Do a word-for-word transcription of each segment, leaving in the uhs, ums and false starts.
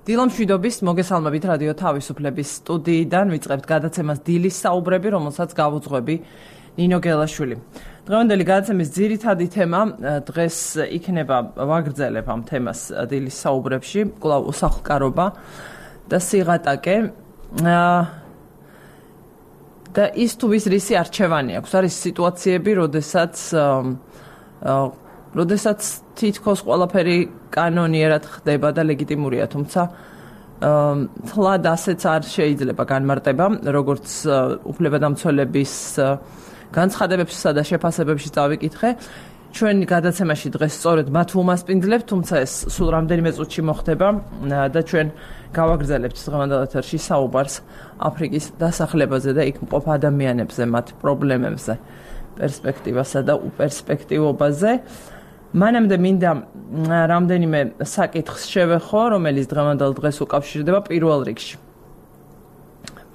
დილამშვიდობის მოგესალმებით რადიო თავისუფლების სტუდიიდან ვიწყებთ გადაცემას დილის საუბრები, რომელსაც გავუძღვები ნინო გელაშვილი. დღევანდელი გადაცემის ძირითადი თემა დღეს იქნება ვაგრძელებ ამ თემას დილის საუბრებში, კვლავ უსახლკარობა და სიღატაკე და ის თუ ვის რისი არჩევანი აქვს. არის სიტუაციები, როდესაც როდესაც თითქოს ყველაფერი კანონიერად ხდება და ლეგიტიმურია, თუმცა თლად ასეც არ შეიძლება განმარტება, როგორც უფლებადამცველების განცხადებებსა და შეფასებებში წავიკითხე. ჩვენ გადაცემაში დღეს სწორედ მათ ვუმასპინძლებთ, თუმცა ეს სულ რამდენიმე წუთში მოხდება და ჩვენ გავაგრძელებთ დღევანდელ ეთერში საუბარს აფრიკის დასახლებაზე და იქ მყოფ ადამიანებზე, მათ პრობლემებზე, პერსპექტივასა და უპერსპექტივობაზე. მანამდე მინდა რამდენიმე საკითხს შევეხო, რომელიც დღევანდელ დღეს უკავშირდება პირველ რიგში.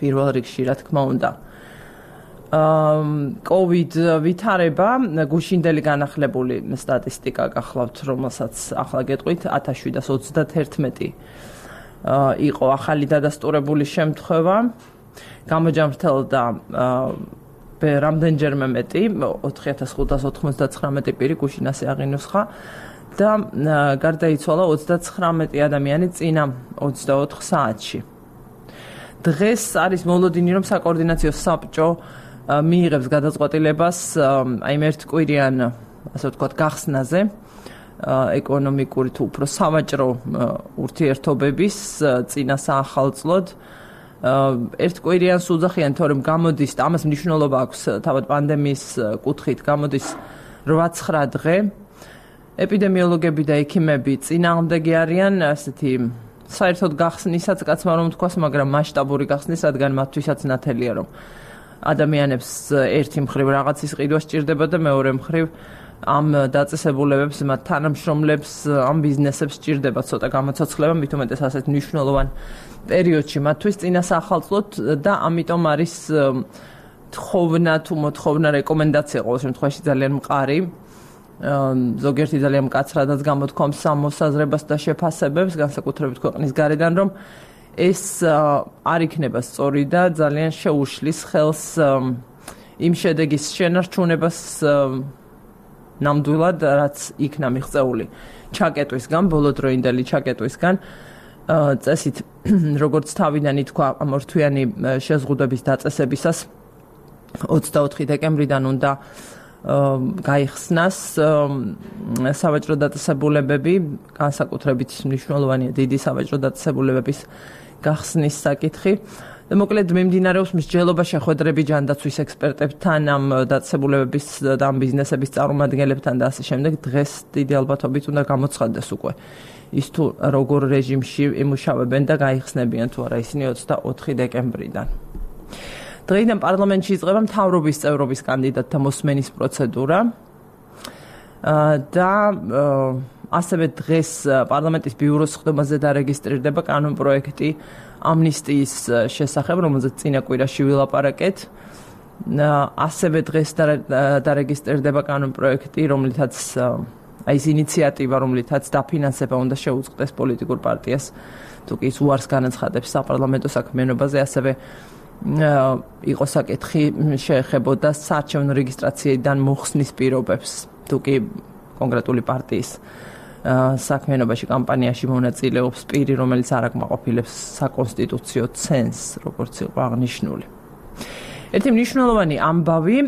პირველ რიგში, რა თქმა უნდა. COVID ვითარება, გუშინდელი განახლებული სტატისტიკა გახლავთ, რომელსაც ახლა გეტყვით, ათას შვიდას ოცდათერთმეტი იყო ახალი დადასტურებული შემთხვევა, გამოჯამრთელდა რამდენჯერმე მეტი, ოთხი ათას ხუთას ოცდათხრამეტი პირი გუშინ ასე აღინუსხა და გარდაიცვალა ოცდაცხრამეტი ადამიანი წინა ოცდაოთხ საათში. დღეს არის მოლოდინი, რომ საკოორდინაციო საბჭო მიიღებს გადაწყვეტილებას აი ამ ერთკვირიან, ასე ვთქვათ, გახსნაზე ეკონომიკური თუ უფრო სავაჭრო ურთიერთობების წინა საახალწლოდ. ერთკვირიანს უძახიან, თორემ გამოდის, ამას მნიშვნელობა აქვს თავად პანდემიის კუთხით, გამოდის რვა-ცხრა დღე. ეპიდემიოლოგები და ექიმები წინააღმდეგი არიან ასეთი საერთოდ გახსნისაც, კაცმა რომ თქვას, მაგრამ მასშტაბური გახსნის, რადგან მათთვისაც ნათელია, რომ ადამიანებს ერთი მხრივ რაღაცის ყიდვა სჭირდება და მეორე მხრივ ამ დაწესებულებებს, მათ თანამშრომლებს, ამ ბიზნესებს სჭირდება ცოტა გამოცოცხლება, მით უმეტეს ასეთ მნიშვნელოვან პერიოდში მათთვის წინა საახალწლოდ და ამიტომ არის თხოვნა თუ მოთხოვნა რეკომენდაცია ყოველ შემთხვევაში ძალიან მყარი. ზოგიერთი ძალიან მკაცრადაც გამოთქვამს ამ მოსაზრებას და შეფასებებს, განსაკუთრებით ქვეყნის გარედან, რომ ეს არ იქნება სწორი და ძალიან შეუშლის ხელს იმ შედეგის შენარჩუნებას ნამდვილად, რაც იქნა მიღწეული ჩაკეტვისგან, ბოლოდროინდელი ჩაკეტვისგან. წესით, როგორც თავიდან ითქვა, ამ ორთვიანი შეზღუდვების დაწესებისას ოცდაოთხი დეკემბრიდან უნდა გაიხსნას სავაჭრო დაწესებულებები, განსაკუთრებით მნიშვნელოვანია დიდი სავაჭრო დაწესებულებების გახსნის საკითხი. მოკლედ მიმდინარეობს მსჯელობა შეხვედრები ჯანდაცვის ექსპერტებთან, ამ დაწესებულებების და ამ ბიზნესების წარმომადგენლებთან და ასე შემდეგ. დღეს დიდი ალბათობით უნდა გამოცხადდეს უკვე ის თუ როგორ რეჟიმში იმუშავებენ და გაიხსნებიან თუ არა ისინი ოცდაოთხი დეკემბრიდან. დღეიდან პარლამენტში იწყება მთავრობის წევრობის კანდიდატთა მოსმენის პროცედურა და ასევე დღეს პარლამენტის ბიუროს სხდომაზე დარეგისტრირდება კანონპროექტი ამნისტიის შესახებ, რომელზეც წინა კვირაში ვილაპარაკეთ. ასევე დღეს დარეგისტრირდება კანონპროექტი, რომლითაც აი ეს ინიციატივა, რომლითაც დაფინანსება უნდა შეუწყდეს პოლიტიკურ პარტიას, თუ კი ის უარს განაცხადებს საპარლამენტო საქმიანობაზე, ასევე იყო საკითხი შეეხებოდა საარჩევნო რეგისტრაციიდან მოხსნის პირობებს, თუ კი კონკრეტული პარტიის საქმიანობაში კამპანიაში მონაწილეობს პირი, რომელიც არ აკმაყოფილებს საკონსტიტუციო ცენზს, როგორც იყო აღნიშნული. ერთი მნიშვნელოვანი ამბავი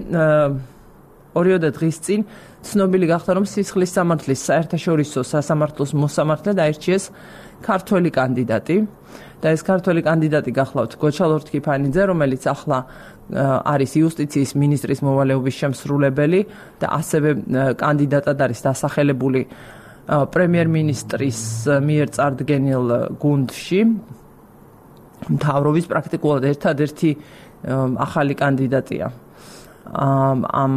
ორიოდე დღის წინ ცნობილი გახდა, რომ სისხლის სამართლის საერთაშორისო სასამართლოს მოსამართლედ აირჩიეს ქართველი კანდიდატი და ეს ქართველი კანდიდატი გახლავთ გოჩა ლორთქიფანიძე, რომელიც ახლა არის იუსტიციის მინისტრის მოვალეობის შემსრულებელი და ასევე კანდიდატად არის დასახელებული პრემიერ-მინისტრის მიერ წარდგენილ გუნდში. მთავრობის პრაქტიკულად ერთადერთი ახალი კანდიდატია ამ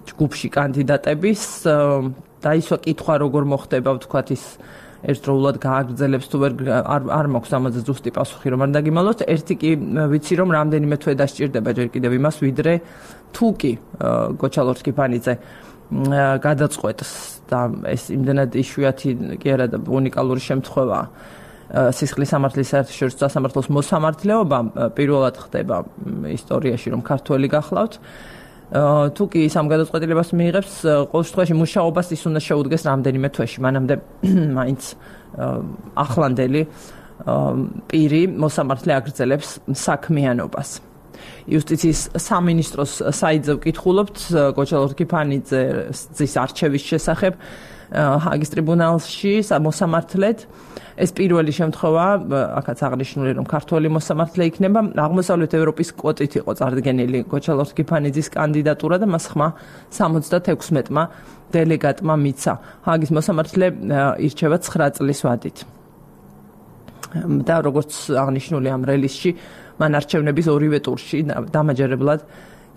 ჯგუფში კანდიდატების და ისო კითხვა როგორ მოხდება, ვთქვათ, ის ერთდროულად გააგრძელებს თუ ვერ არ მაქვს ამაზე ზუსტი პასუხი, რომ არ დაგიმალოთ. ერთი კი ვიცი, რომ რამდენიმე თვე დასჭირდება ჯერ კიდევ იმას, ვიდრე თუ კი გოჩა ლორთქიფანიძე გადაწყვეტს და ეს იმდენად იშვიათი კი არა და უნიკალური შემთხვევაა. სისხლის სამართლის საერთაშორისო სასამართლოს მოსამართლეობა პირველად ხდება ისტორიაში, რომ ქართველი გახლავთ. თუ კი ამ გადაწყვეტილებას მიიღებს, ყოველ შემთხვევაში მუშაობას ის უნდა შეუდგეს რამდენიმე თვეში, მანამდე მაინც ახლანდელი პირი მოსამართლე აგრძელებს საქმიანობას. იუსტიციის სამინისტროს საიტზე ვკითხულობთ გოჩა ლორთქიფანიძის არჩევის შესახებ ჰაგის ტრიბუნალში მოსამართლედ. ეს პირველი შემთხვევა, აქაც აღნიშნული, რომ ქართველი მოსამართლე იქნება, აღმოსავლეთ ევროპის კვოტით იყო წარდგენილი გოჩა ლორთქიფანიძის კანდიდატურა და მას ხმა სამოცდათექვსმეტმა დელეგატმა მიცა. ჰაგის მოსამართლე ირჩევა ცხრა წლის ვადით. და როგორც აღნიშნული ამ რელიზში, მან არჩევნების ორივე ტურში დამაჯერებლად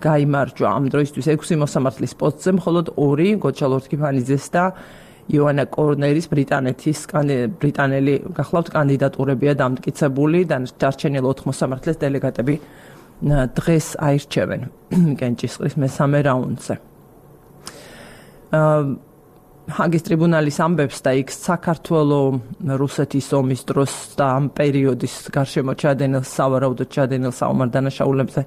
გაიმარჯვა. ამ დროისთვის ექვსი მოსამართლის პოსტზე მხოლოდ ორი გოჩა ლორთქიფანიძეს და იონა კორნერის ბრიტანეთის ბრიტანელი გახლავთ კანდიდატურებია დამტკიცებული და დარჩენილ ოთხ მოსამართლეს დელეგატები დღეს აირჩევენ კენჭისყრის მესამე რაუნდზე. ჰაგის ტრიბუნალის ამბებს და იქ საქართველოს რუსეთის ომის დროს და ამ პერიოდის გარშემო ჩადენილ სავარაუდოდ ჩადენილ საომარ დანაშაულებზე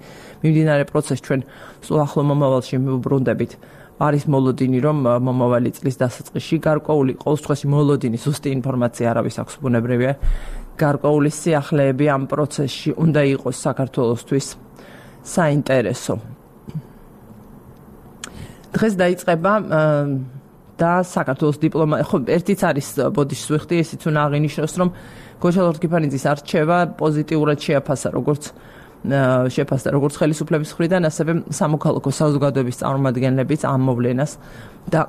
მიმდინარე პროცესს ჩვენ სულ ახლო მომავალში მივუბრუნდებით. არის მოლოდინი, რომ მომავალი წლის დასაწყისში გარკვეული ყოველ შემთხვევაში მოლოდინი ზუსტი ინფორმაცია არავის აქვს ბუნებრივია. გარკვეული სიახლეები ამ პროცესში უნდა იყოს საქართველოსთვის საინტერესო. დღეს დაიწყება და საქართველოს დიპლომატია, ხო, ერთიც არის ბოდიშს ვიხდი, ესიც უნდა აღინიშნოს, რომ გოჩა ლორთქიფანიძის არჩევა პოზიტიურად შეაფასა, როგორც შეფასდა როგორც ხელისუფლების მხრიდან, ასევე სამოქალაქო საზოგადოების წარმომადგენლებიც ამ მოვლენას და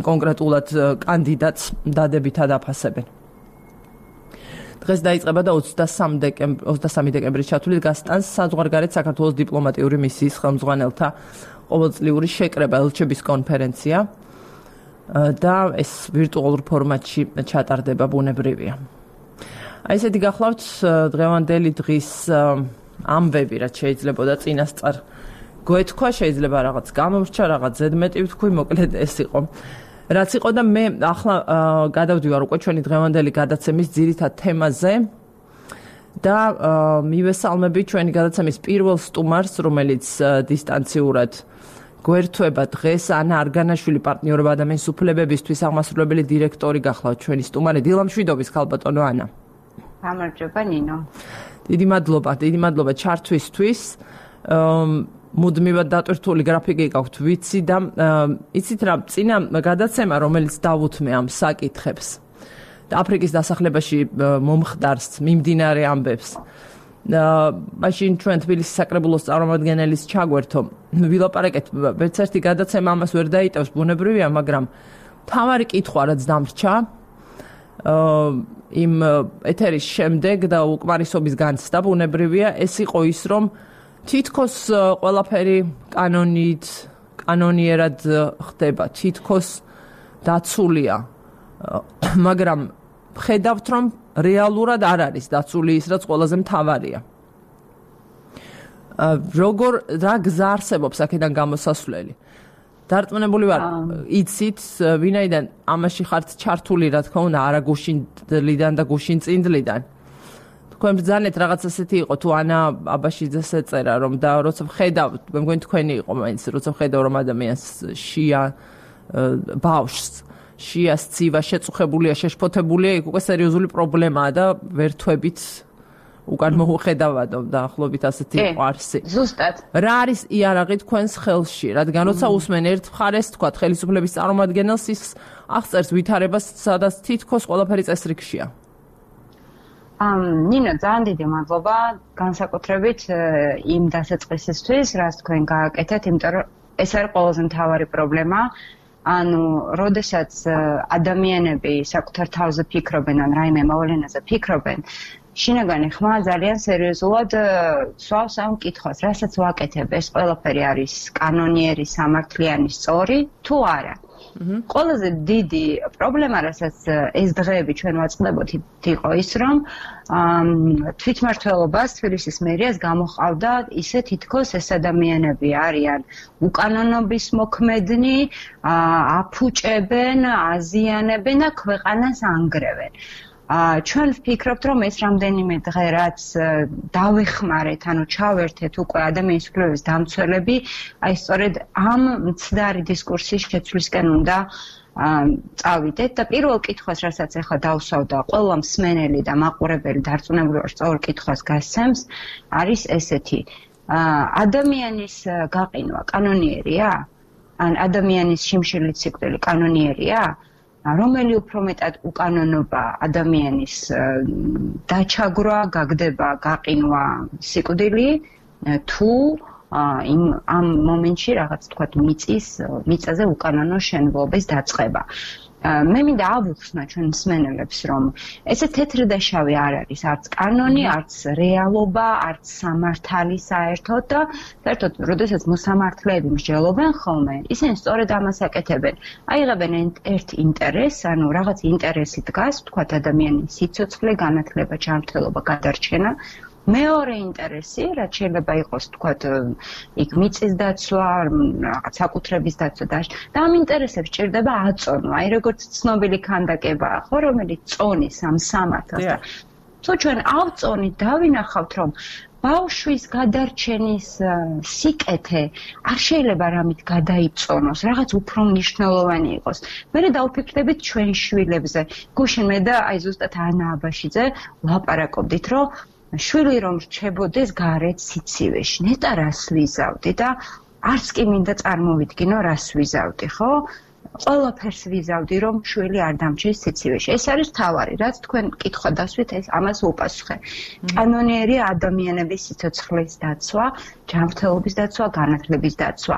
კონკრეტულად კანდიდატს დადებითად აფასებენ. დღეს დაიწყება და ოცდასამი დეკემბრის ჩათვლით გასტანს საზღვარგარეთ საქართველოს დიპლომატიური მისიის ხელმძღვანელთა ყოველწლიური შეკრება ელჩების კონფერენცია და ეს ვირტუალურ ფორმატში ჩატარდება ბუნებრივია. აი ესეთი გახლავთ დღევანდელი დღის ამბები, რაც შეიძლება და წინასწარ გვეთქვა, შეიძლება რაღაც გამომრჩა, რაღაც ზედმეტი ვთქვი, მოკლედ ეს იყო. რაც იყო და მე ახლა გადავდივარ უკვე ჩვენი დღევანდელი გადაცემის ძირითად თემაზე და მივესალმები ჩვენი გადაცემის პირველ სტუმარს, რომელიც დისტანციურად გვერთვება დღეს, ანა არგანაშვილი, პარტნიორობა ადამიანის უფლებებისთვის აღმასრულებელი დირექტორი გახლავთ ჩვენი სტუმარი. დილა მშვიდობის, ხალბატონო ანა. გამარჯობა ნინო. დიდი მადლობა, დიდი მადლობა ჩართვისთვის. მუდმივად დატვირთული გრაფიკი გაქვთ, ვიცი და იცით რა, წინა გადაცემა, რომელიც დავუთმე ამ საკითხებს და აფრიკის დასახლებაში მომხდარს, მიმდინარე ამბებს. მაშინ ჩვენ თბილისის საკრებულოს წარმომადგენელის ჩაგვერთო. ვილაპარაკეთ, ვერც ერთი გადაცემა ამას ვერ დაიტევს ბუნებრივია, მაგრამ თავარი კითხვა რაც დამრჩა იმ ეთერის შემდეგ და უკმარისობის განცდა ბუნებრივია, ეს იყო ის, რომ თითქოს ყველაფერი კანონით, კანონიერად ხდება, თითქოს დაცულია, მაგრამ ხედავთ, რომ რეალურად არ არის დაცული ის, რაც ყველაზე მთავარია. როგორ რა გზა არსებობს აქედან გამოსასვლელი? დარწმუნებული ვარ, იცით, ვინაიდან ამაში ხართ ჩართული, რა თქმა უნდა, არა გუშინდლიდან და გუშინწინდლიდან. თქვენ ბრძანეთ რაღაც ასეთი იყო, თუ ანა აბაშიძეს ეწერა, რომ და როცა ვხედავთ, მე მგონი თქვენი იყო მაინც, როცა ვხედავ, რომ ადამიანს შია ბავშვს, შიას ცივა შეწუხებულია, შეშფოთებულია, იქ უკვე სერიოზული პრობლემაა და ვერთვებით უკან მოუხედავადო და ახლობით ასეთი იყო არსი. ზუსტად. რა არის იარაღი თქვენს ხელში, რადგან როცა უსმენ ერთ მხარეს, თქვა ხელისუფლების წარმომადგენელს, ის აღწერს ვითარებას, სადაც თითქოს ყველაფერი წესრიგშია. ამ ნინო, ძალიან დიდი მადლობა განსაკუთრებით იმ დასაწყისისთვის, რაც თქვენ გააკეთეთ, იმიტომ რომ ეს არის ყველაზე მთავარი პრობლემა. ანუ, როდესაც ადამიანები საკუთარ თავზე ფიქრობენ, ან რაიმე მოვლენაზე ფიქრობენ, შინაგანი ხმა ძალიან სერიოზულად სვავს ამ კითხვას, რასაც ვაკეთებ, ეს ყველაფერი არის კანონიერი, სამართლიანი, სწორი, თუ არა. ყველაზე დიდი პრობლემა, რასაც ეს დღეები ჩვენ ვაწყდებოთ, იყო ის, რომ თვითმმართველობას, თბილისის მერიას გამოჰყავდა ისე თითქოს ეს ადამიანები არიან უკანონობის მოქმედნი, აფუჭებენ, აზიანებენ და ქვეყანას ანგრევენ. ჩვენ ვფიქრობთ, რომ ეს რამდენიმე დღე რაც დავეხმარეთ, ანუ ჩავერთეთ უკვე ადამიანის უფლებების დამცველები, აი სწორედ ამ მცდარი დისკურსის შეცვლისკენ უნდა წავიდეთ და პირველ კითხვას, რასაც ახლა დავსვავ და ყველა მსმენელი და მაყურებელი დარწმუნებული ვარ, სწორ კითხვას გასცემს, არის ესეთი: ადამიანის გაყინვა კანონიერია? ან ადამიანის შიმშილით სიკვდილი კანონიერია? რომელი უფრო მეტად უკანონობა ადამიანის დაჩაგვრა, გაგდება, გაყინვა, სიკვდილი თუ იმ ამ მომენტში რაღაც თქვათ მიწის მიწაზე უკანონო შენებლობის დაწყება. მე მინდა ავუხსნა ჩვენ მსმენელებს, რომ ესე თეთრი და შავი არ არის, არც კანონი, არც რეალობა, არც სამართალი საერთოდ და საერთოდ, როდესაც მოსამართლეები მსჯელობენ ხოლმე, ისინი სწორედ ამას აკეთებენ. აიღებენ ერთ ინტერესს, ანუ რაღაც ინტერესი დგას, თქვათ ადამიანის სიცოცხლე, განათლება, ჯანმრთელობა, გადარჩენა. მეორე ინტერესი, რაც შეიძლება იყოს, თქვათ, იქ მიწის დაცვა, რაღაც საკუთრების დაცვა და და ამ ინტერესებს ჭირდება აწონვა, აი როგორც ცნობილი ქანდაკებაა, ხო, რომელიც წონის ამ სამართალს და თუ ჩვენ ავწონით, დავინახავთ, რომ ბავშვის გადარჩენის სიკეთე არ შეიძლება რამით გადაიწონოს, რაღაც უფრო მნიშვნელოვანი იყოს. მე დავფიქრდებით ჩვენ შვილებზე. გუშინ მე და აი ზუსტად ანა აბაშიძე ვლაპარაკობდით, რომ შვილი რომ რჩებოდეს გარეთ სიცივეში, ნეტა რას ვიზავდი და არც კი მინდა წარმოვიდგინო რას ვიზავდი, ხო? ყველაფერს ვიზავდი, რომ შვილი არ დამჩეს სიცივეში. ეს არის თავარი, რაც თქვენ კითხვა დასვით, ეს ამას უპასუხე. კანონიერია ადამიანების სიცოცხლის დაცვა, ჯანმრთელობის დაცვა, განათლების დაცვა.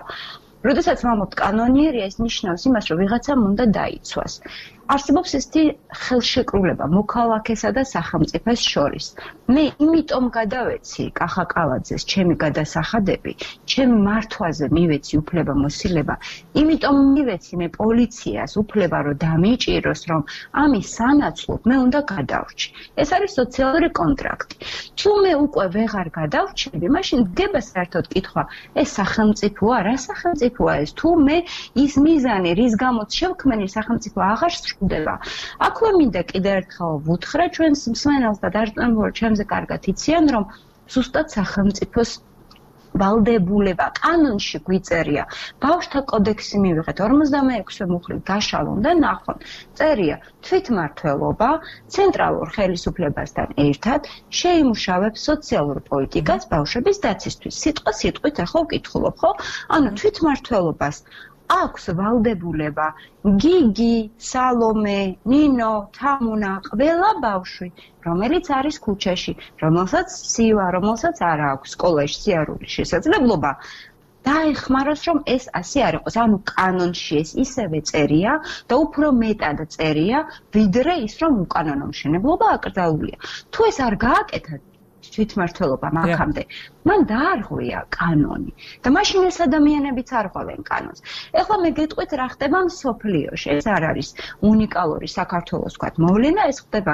როდესაც ვამბობთ კანონიერია, ეს ნიშნავს იმას, რომ ვიღაცამ უნდა დაიცვას. არსებობს ესეთი ხელშეკრულება მოქალაქესა და სახელმწიფოს შორის. მე იმიტომ გადავეცი კახა კალაძეს ჩემი გადასახადები, ჩემი მართვაზე მივეცი უფლება მოსილება, იმიტომ მივეცი მე პოლიციას უფლება რომ დამიჭიროს, რომ ამის სანაცვლოდ მე უნდა გადავრჩი. ეს არის სოციალური კონტრაქტი. თუ მე უკვე ვეღარ გადავრჩები, მაშინ დგება საერთოდ კითხვა, ეს სახელმწიფოა, რა სახელმწიფოა ეს? თუ მე ის მიზანი, რის გამოც შევქმენი სახელმწიფო აღარ სრულდება. აქვე მინდა კიდევ ერთხელ ვუთხრა ჩვენს მსმენელს და დარწმუნებული ჩემზე კარგად იციან, რომ ზუსტად სახელმწიფოს ვალდებულება კანონში გვიწერია. ბავშვთა კოდექსი მივიღეთ ორმოცდამეექვსე მუხლით გაშალონ და ნახონ. წერია თვითმმართველობა ცენტრალურ ხელისუფლებასთან ერთად შეიმუშავებს სოციალურ პოლიტიკას ბავშვების დაცვისთვის. სიტყვა სიტყვით ახლა ვკითხულობ, ხო? ანუ თვითმმართველობას აქვს ვალდებულება გიგი, სალომე, ნინო, თამუნა, ყველა ბავშვი, რომელიც არის ქუჩაში, რომელსაც სივა, რომელსაც არ აქვს სკოლაში სიარულის შესაძლებლობა, დაეხმაროს, რომ ეს ასე არ იყოს. ანუ კანონში ეს ისევე წერია და უფრო მეტად წერია, ვიდრე ის, რომ უკანონო მშენებლობა აკრძალულია. თუ ეს არ გააკეთა თვითმმართველობა მაგამდე, მან დაარღვია კანონი და მაშინ ეს ადამიანებიც არ ღვევენ კანონს. ეხლა მე გეტყვით რა ხდება მსოფლიოში. ეს არ არის უნიკალური საქართველოს თქვათ მოვლენა, ეს ხდება,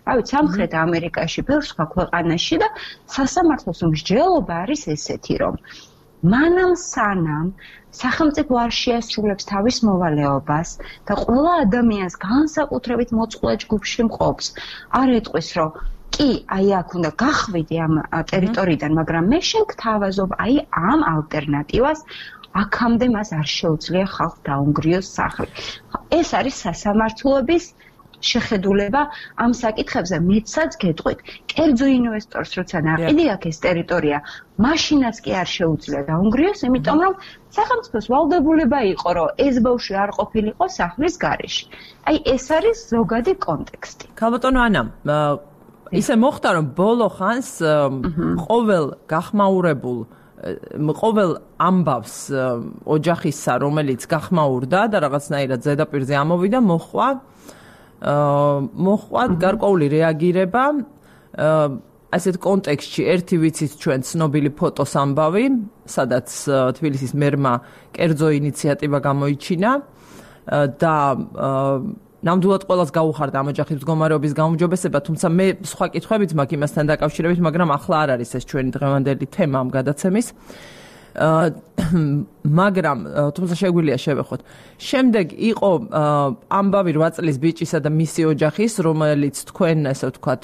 რა ვიცი, სამხრეთ ამერიკაში, ბევრ სხვა ქვეყანაში და სასამართლოს მსჯელობა არის ესეთი, რომ მანამ სანამ სახელმწიფო არ შეასრულებს თავის მოვალეობას და ყველა ადამიანს განსაკუთრებით მოწყვლად ჯგუფში მყოფს, არ ეტყვის, რომ კი, აი აქ უნდა გახვიდე ამ ტერიტორიიდან, მაგრამ მე შენ გთავაზობ აი ამ ალტერნატივას, აქამდე მას არ შეუძლია ხალხს დაუნგრიოს სახლი. ეს არის სასამართლოების შეხედულება ამ საკითხებზე. მეცაც გეტყვით, კერძო ინვესტორს როცა ნაყიდი აქვს ეს ტერიტორია, მაშინაც კი არ შეუძლია დაუნგრიოს, იმიტომ რომ სახელმწიფოს ვალდებულება იყო, რომ ეს ბავშვი არ ყოფილიყო სახლის გარეშე. აი ეს არის ზოგადი კონტექსტი. ქალბატონო ანა, ისე მოხდა, რომ ბოლო ხანს ყოველ გახმაურებულ ყოველ ამბავს ოჯახისა, რომელიც გახმაურდა და რაღაცნაირად ზედაპირზე ამოვიდა, მოხვა მოხვა გარკვეული რეაგირება. ასეთ კონტექსტში ერთი ვიცით ჩვენ ცნობილი ფოტოს ამბავი, სადაც თბილისის მერმა კერძო ინიციატივა გამოიჩინა და ნამდვილად ყველას გაუხარდა ამ ოჯახის მდგომარეობის გაუმჯობესება, თუმცა მე სხვა კითხვებით მაქვს იმასთან დაკავშირებით, მაგრამ ახლა არ არის ეს ჩვენი დღევანდელი თემა ამ გადაცემის. მაგრამ თუმცა შეგვიძლია შევეხოთ. შემდეგ იყო ამბავი რვა წლის ბიჭისა და მისი ოჯახის, რომელიც თქვენ ესე ვთქვათ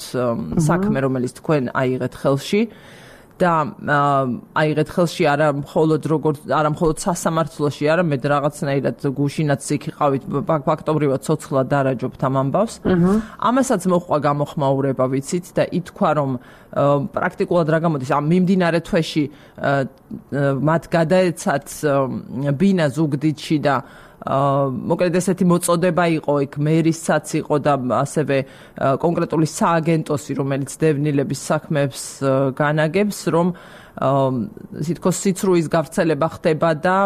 საქმე, რომელიც თქვენ აიღეთ ხელში და აიღეთ ხელში არა მხოლოდ როგორც არა მხოლოდ სასამართლოში, არა მე რაღაცნაირად გუშინაც იქ იყავით ფაქტობრივად ცოცხლად დარაჯობთ ამ ამბავს. ამასაც მოხდა გამოხმაურება, ვიცით და ითქვა რომ პრაქტიკულად რა გამოდის ამ მიმდინარე თვეში მათ გადაეცათ ბინა ზუგდიდში და მოკლედ ესეთი მოწოდება იყო იქ მერისაც იყო და ასევე კონკრეტული სააგენტოსი რომელიც დევნილების საქმეებს განაგებს რომ თითქოს სიცრუის გავრცელება ხდება და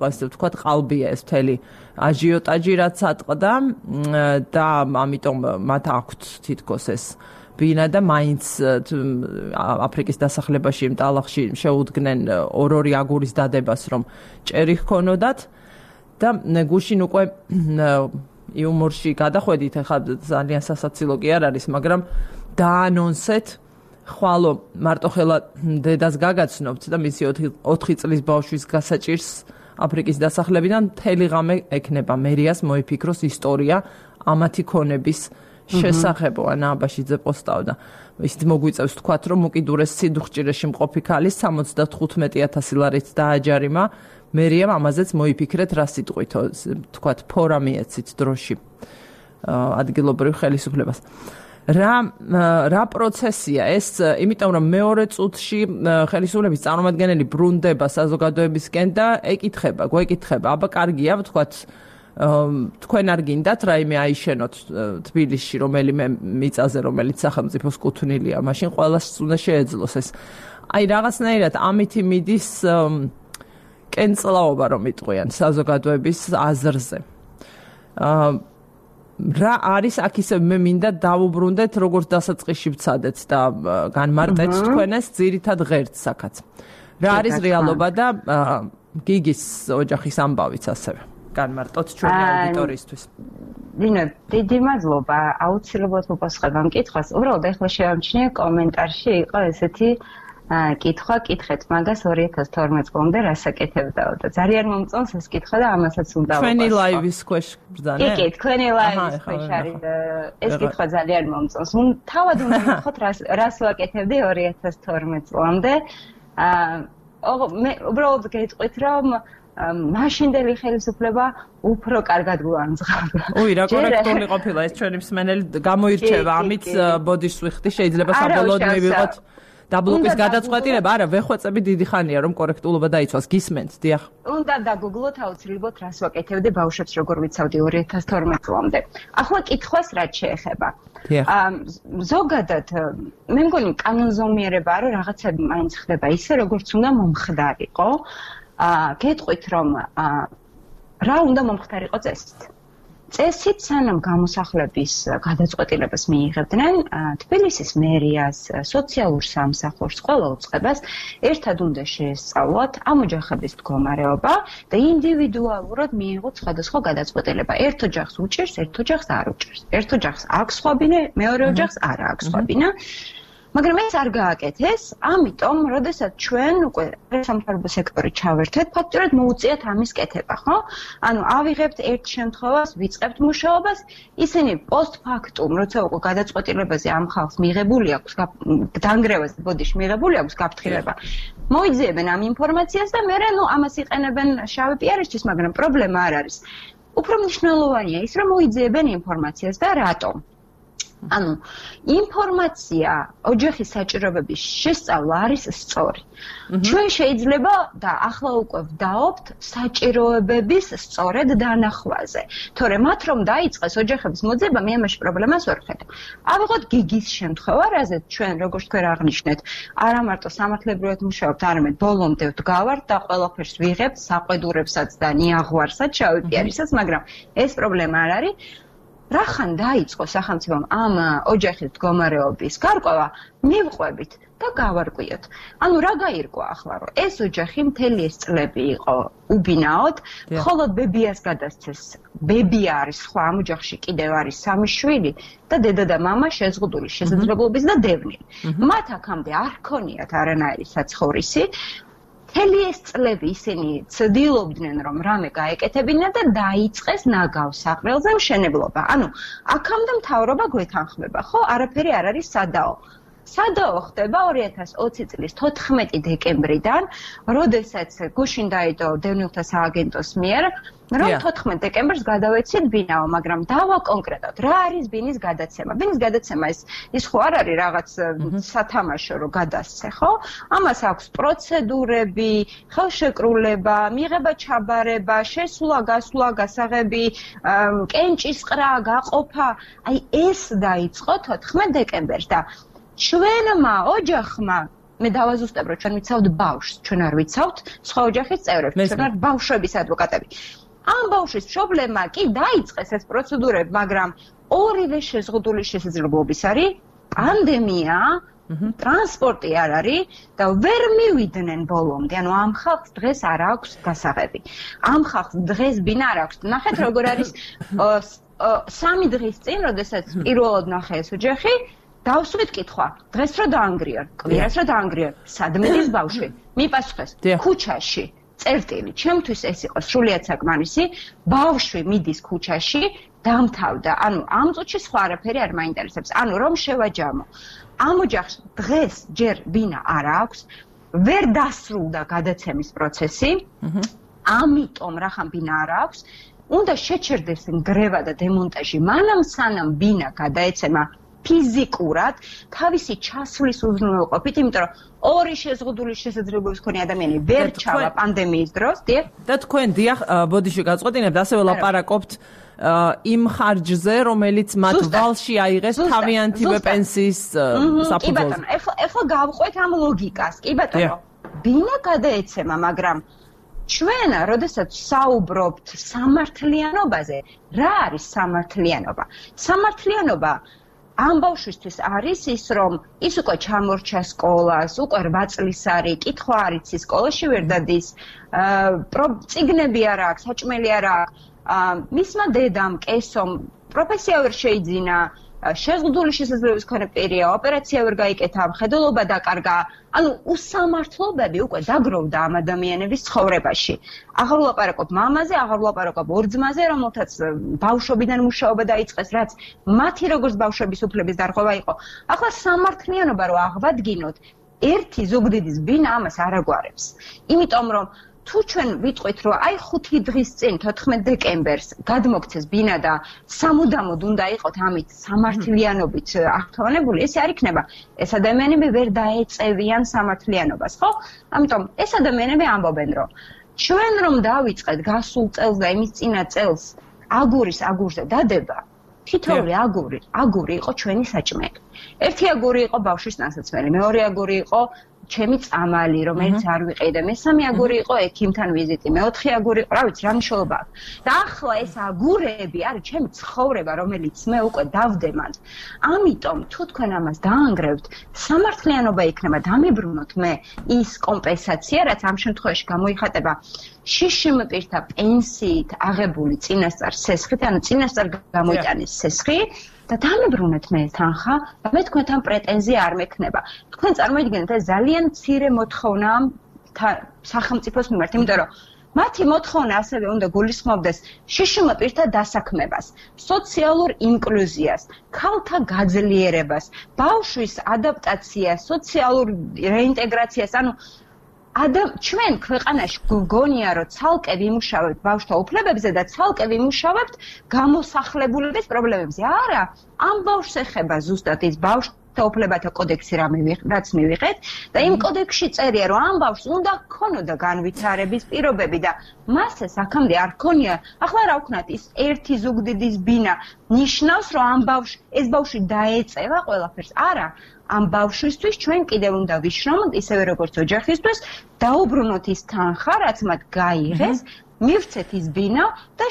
ასე ვთქვათ ყალბია ეს მთელი აჟიოტაჟი რაც ატყდა და ამიტომ მათ აქვთ თითქოს ეს ბინა და მაინც აფრიკის დასახლებაში იმ ტალახში შეუდგნენ ორ-ორი აგურის დადებას რომ ჭერი ჰქონოდათ და გუშინ უკვე იუმორში გადახვედით, ახლა ძალიან სასაცილო კი არ არის, მაგრამ დაანონსეთ ხვალო მარტოხელა დედას გაგაცნობთ და მისი ოთხი წლის ბავშვის გასაჭირს აფრიკის დასახლებიდან მთელი ღამე ექნება მერიას მოიფიქროს ისტორია ამათი ქონების შესახებო ანა აბაშიძე პოსტავდა. ისიც მოგვიწევს თქვათ რომ უკიდურეს სიდუხჭირეში მყოფი ქალის სამოცდათხუთმეტი ათასი ლარით დააჯარიმა მერიამ ამაზეც მოიფიქრეთ რა სიტყვით თქვათ ფორა მიეცით დროში ადგილობრივ ხელისუფლებას. რა რა პროცესია ეს იმიტომ რომ მეორე წუთში ხელისუფლების წარმომადგენელი ბრუნდება საზოგადოებისკენ და ეკითხება გვეკითხება აბა კარგია თქვათ თქვენ არ გინდათ რაიმე აიშენოთ თბილისში რომელიმე მიწაზე რომელიც სახელმწიფოს კუთვნილია მაშინ ყველას უნდა შეეძლოს ეს აი რაღაცნაირად ამითი მიდის კენწლაობა რომ იტყვიან საზოგადოების აზრზე რა არის აქ ისე მე მინდა დავუბრუნდეთ როგორც დასაწყისში ვცადეთ და განმარტეთ თქვენეს ძირითად ღერდს აქაც რა არის რეალობა და გიგის ოჯახის ამბავიც ასევე განმარტოთ ჩვენი აუდიტორიისთვის. დინო, დიდი მადლობა. აუცილებლად მოპასუხებ ამ კითხვას. უბრალოდ ახლა შევამჩნიე კომენტარში იყო ესეთი კითხვა, კითხეთ მაგას ორი ათას თორმეტ წლამდე რასაკეთებდაო და ძალიან მომწონს ეს კითხვა და ამასაც უნდა ვაპასუხო. ჩვენი ლაივის ქვეშ ბრძანა? კი, კი, თქვენი ლაივის ქვეშ არის ეს კითხვა ძალიან მომწონს. თავად უნდა ვთქვათ რას ვაკეთებდი ორი ათას თორმეტ წლამდე. აა მე უბრალოდ გეტყვით რომ მაშინდელი ხელისუფლება უფრო კარგად გვანძღავდა. უი, რა კორექტული ყოფილა ეს ჩვენი მსმენელი გამოირჩევა ამით ბოდიშს ვიხდი შეიძლება საბოლოოდ მივიღოთ დაბლოკის გადაწყვეტილება არა ვეხვეწები დიდი ხანია რომ კორექტულობა დაიცვას გისმენთ დიახ უნდა დაგუგლოთ აუცილებლად რას ვაკეთებდი ბავშვებს როგორ ვიცავდი ორი ათას თორმეტ წლამდე ახლა კითხვას რაც შეეხება ზოგადად მე მგონი კანონზომიერებაა რომ რაღაცები მაინც ხდება ისე როგორც უნდა მომხდარიყო გეტყვით რომ რა უნდა მომხდარიყო წესით წესით სანამ გამოსახლების გადაწყვეტილებას მიიღებდნენ თბილისის მერიას სოციალურ სამსახურს ყველა უწყებას ერთად უნდა შეესწავლოთ ამ ოჯახების მდგომარეობა და ინდივიდუალურად მიიღოთ სხვადასხვა გადაწყვეტილება ერთ ოჯახს უჭირს ერთ ოჯახს არ უჭირს ერთ ოჯახს აქვს სხვა ბინა მეორე ოჯახს არ აქვს სხვა ბინა მაგრამ ეს არ გააკეთეს, ამიტომ, როდესაც ჩვენ უკვე სამთავრობო სექტორი ჩავერთეთ, ფაქტობრივად მოუწიათ ამის კეთება, ხო? ანუ ავიღებთ ერთ შემთხვევას, ვიწყებთ მუშაობას, ისინი პოსტფაქტუმ, როცა უკვე გადაწყვეტილებაზე ამ ხალხს მიღებული აქვს, დანგრევას ბოდიში მიღებული აქვს გაფრთხილება. მოიძიებენ ამ ინფორმაციას და მერე ნუ ამას იყენებენ შავი პიარისთვის, მაგრამ პრობლემა არ არის. უფრო მნიშვნელოვანია ის, რომ მოიძიებენ ინფორმაციას და რატომ? ანუ ინფორმაცია ოჯახის საჭიროებების შესწავლა არის სწორი. ჩვენ შეიძლება და ახლა უკვე ვდაობთ საჭიროებების სწორედ დანახვაზე. თორემ მათ რომ დაიწყეს ოჯახების მოძება, მე ამაში პრობლემას ვერ ხედავ. ავიღოთ გიგის შემთხვევა, რაზეც ჩვენ როგორც თქვენ აღნიშნეთ, არა მარტო სამართლებრივად მუშაობთ, არამედ ბოლომდე ვდგავართ და ყველაფერს ვიღებთ, საყვედურებსაც და ნიაღვარსაც, შავი პიარისაც, მაგრამ ეს პრობლემა არ არის. რახან დაიწყო სახელმწიფომ ამ ოჯახის მდგომარეობის გარკვევა მივყვებით და გავარკვიოთ. ანუ რა გაირკვა ახლა რომ ეს ოჯახი მთელი ეს წლები იყო უბინაოდ, მხოლოდ ბებიას გადასცეს. ბებია არის სხვა ამ ოჯახში კიდევ არის სამი შვილი და დედა და მამა შეზღუდული შესაძლებლობის და დევნილი. მათ აქამდე არ ქონიათ არანაირი საცხოვრისი. მთელი ეს წლები ისინი ცდილობდნენ რომ რამე გაეკეთებინა და დაიწყეს ნაგავს საყრელზე მშენებლობა. ანუ აქამდე მთავრობა გვეთანხმება, ხო? არაფერი არ არის სადაო. სადაო ხდება ორი ათას ოცი წლის თოთხმეტი დეკემბრიდან, როდესაც გუშინ დაიდო დევნილთა სააგენტოს მიერ, რომ თოთხმეტ დეკემბერს გადავეცით ბინაო, მაგრამ დავა კონკრეტად, რა არის ბინის გადაცემა? ბინის გადაცემა ის ის ხო არ არის რაღაც სათამაშო რო გადასცე, ხო? ამას აქვს პროცედურები, ხელშეკრულება, მიღება ჩაბარება, შესვლა, გასვლა, გასაღები, კენჭისყრა, გაყოფა. აი ეს დაიწყო თოთხმეტ დეკემბერს და ჩვენმა ოჯახმა მე დავაზუსტებ რომ ჩვენ ვიცავთ ბავშვს, ჩვენ არ ვიცავთ სხვა ოჯახის წევრებს, ჩვენ ვართ ბავშვების ადვოკატები. ამ ბავშვის პრობლემა კი დაიწყეს ეს პროცედურები, მაგრამ ორივე შეზღუდული შესაძლებლობის არის პანდემია, ტრანსპორტი არ არის და ვერ მივიდნენ ბოლომდე. ანუ ამ ხალხს დღეს არ აქვს გასაღები. ამ ხალხს დღეს ბინა არ აქვს. ნახეთ როგორ არის სამი დღის წინ, როდესაც პირველად ნახე ეს ოჯახი, დავსვით კითხვა, დღეს რო დაანგრიონ, კვირას რო დაანგრიონ, სად მიდის ბავშვი? მიპასუხეს, ქუჩაში. წერტილი, ჩემთვის ეს იყო სრულიად საკმარისი, ბავშვი მიდის ქუჩაში, დამთავრდა. ანუ ამ წუთში სხვა არაფერი არ მაინტერესებს. ანუ რომ შევაჯამო. ამ ოჯახს დღეს ჯერ ბინა არ აქვს, ვერ დასრულდა გადაცემის პროცესი, ამიტომ რახან ბინა არ აქვს, უნდა შეჩერდეს ნგრევა და დემონტაჟი, მანამ სანამ ბინა გადაეცემა ფიზიკურად თავისი ჩასვლის უზრუნველყოფით, იმიტომ რომ ორი შეზღუდული შესაძლებლობის მქონე ადამიანი ვერ ჩავა პანდემიის დროს, დიახ? და თქვენ დიახ, ბოდიში გაწყვეტინებთ, ასევე ლაპარაკობთ იმ ხარჯზე, რომელიც მათ ვალში აიღეს თავიანთი პენსიის საფუძველზე. კი ბატონო, ეხლა ეხლა გავყვეთ ამ ლოგიკას, კი ბატონო. ბინა გადაეცემა, მაგრამ ჩვენ, როდესაც საუბრობთ სამართლიანობაზე, რა არის სამართლიანობა? სამართლიანობა ამ ბავშვისთვის არის ის, რომ ის უკვე ჩამორჩა სკოლას, უკვე რვა წლის არის, კითხვა არ იცის, სკოლაში ვერ დადის, წიგნები არ აქვს, საჭმელი არ აქვს, მისმა დედამ, კესომ პროფესია ვერ შეიძინა, შეზღუდული შესაძლებლობის მქონე პირია, ოპერაცია ვერ გაიკეთა, მხედველობა დაკარგა. ანუ უსამართლობები უკვე დაგროვდა ამ ადამიანების ცხოვრებაში. აღარ ვლაპარაკობ მამაზე, აღარ ვლაპარაკობ ორ ძმაზე, რომელთაც ბავშვობიდან მუშაობა დაიწყეს, რაც მათი როგორც ბავშვების უფლების დარღვევა იყო. ახლა სამართლიანობა რო აღვადგინოთ, ერთი ზუგდიდის ბინა ამას არ აგვარებს. იმიტომ რომ თუ ჩვენ ვიტყვით, რომ აი ხუთი დღის წინ, თოთხმეტ დეკემბერს გადმოგცეს ბინა და სამუდამოდ უნდა იყოთ ამით სამართლიანობით აღთვალებული, ეს არ იქნება. ეს ადამიანები ვერ დაეწევიან სამართლიანობას, ხო? ამიტომ ეს ადამიანები ამბობენ, რომ ჩვენ რომ დავიწყეთ გასულ წელს და იმის წინა წელს აგურის აგურზე დადება, თითოეული აგური, აგური იყო ჩვენი საჭმელი. ერთი აგური იყო ბავშვის ტანსაცმელი, მეორე აგური იყო ჩემი წამალი, რომელიც არ ვიყიდე, მესამე აგური იყო ექიმთან ვიზიტი, მეოთხე აგური იყო, რა ვიცი, რა მნიშვნელობა აქვს. და ახლა ეს აგურები არის ჩემი ცხოვრება, რომელიც მე უკვე დავდემანთ. ამიტომ თუ თქვენ ამას დაანგრევთ, სამართლიანობა იქნება დამებრუნოთ მე ის კომპენსაცია, რაც ამ შემთხვევაში გამოიხატება შიშიმ პირთა პენსიით აღებული წინასწარ სესხით, ანუ წინასწარ გამოიტანეს სესხი და დამებრუნეთ მე თანხა და მე თქვენთან პრეტენზია არ მექნება. თქვენ წარმოიდგინეთ, ეს ძალიან მცირე მოთხოვნაა სახელმწიფოს მიმართ, იმიტომ რომ მათი მოთხოვნა ასევე უნდა გულისხმობდეს შიშიმ პირთა დასაქმებას, სოციალურ ინკლუზიას, ქალთა გაძლიერებას, ბავშვის ადაპტაციას, სოციალურ რეინტეგრაციას, ანუ ადამ ჩვენ ქვეყანაში გგონია რომ ცალკე ვიმუშავებთ ბავშვთა უფლებებზე და ცალკე ვიმუშავებთ გამოსახლებულების პრობლემებზე. არა, ამ ბავშვს ეხება ზუსტად ის ბავშვთა უფლებათა კოდექსი რაც მივიღეთ და იმ კოდექსში წერია რომ ამ ბავშვს უნდა ჰქონოდა განვითარების პირობები და მას ეს აქამდე არ ჰქონია. ახლა რა ვქნათ, ის ერთი ზუგდიდის ბინა ნიშნავს რომ ამ ბავშვს ეს ბავშვი დაეწევა ყველაფერს. არა, ამ ბავშვისთვის ჩვენ კიდევ უნდა ვიშრომოთ ისევე როგორც ოჯახისთვის, დაუბრუნოთ ის თანხა, რაც მათ გაიღეს, მივცეთ ის ბინა და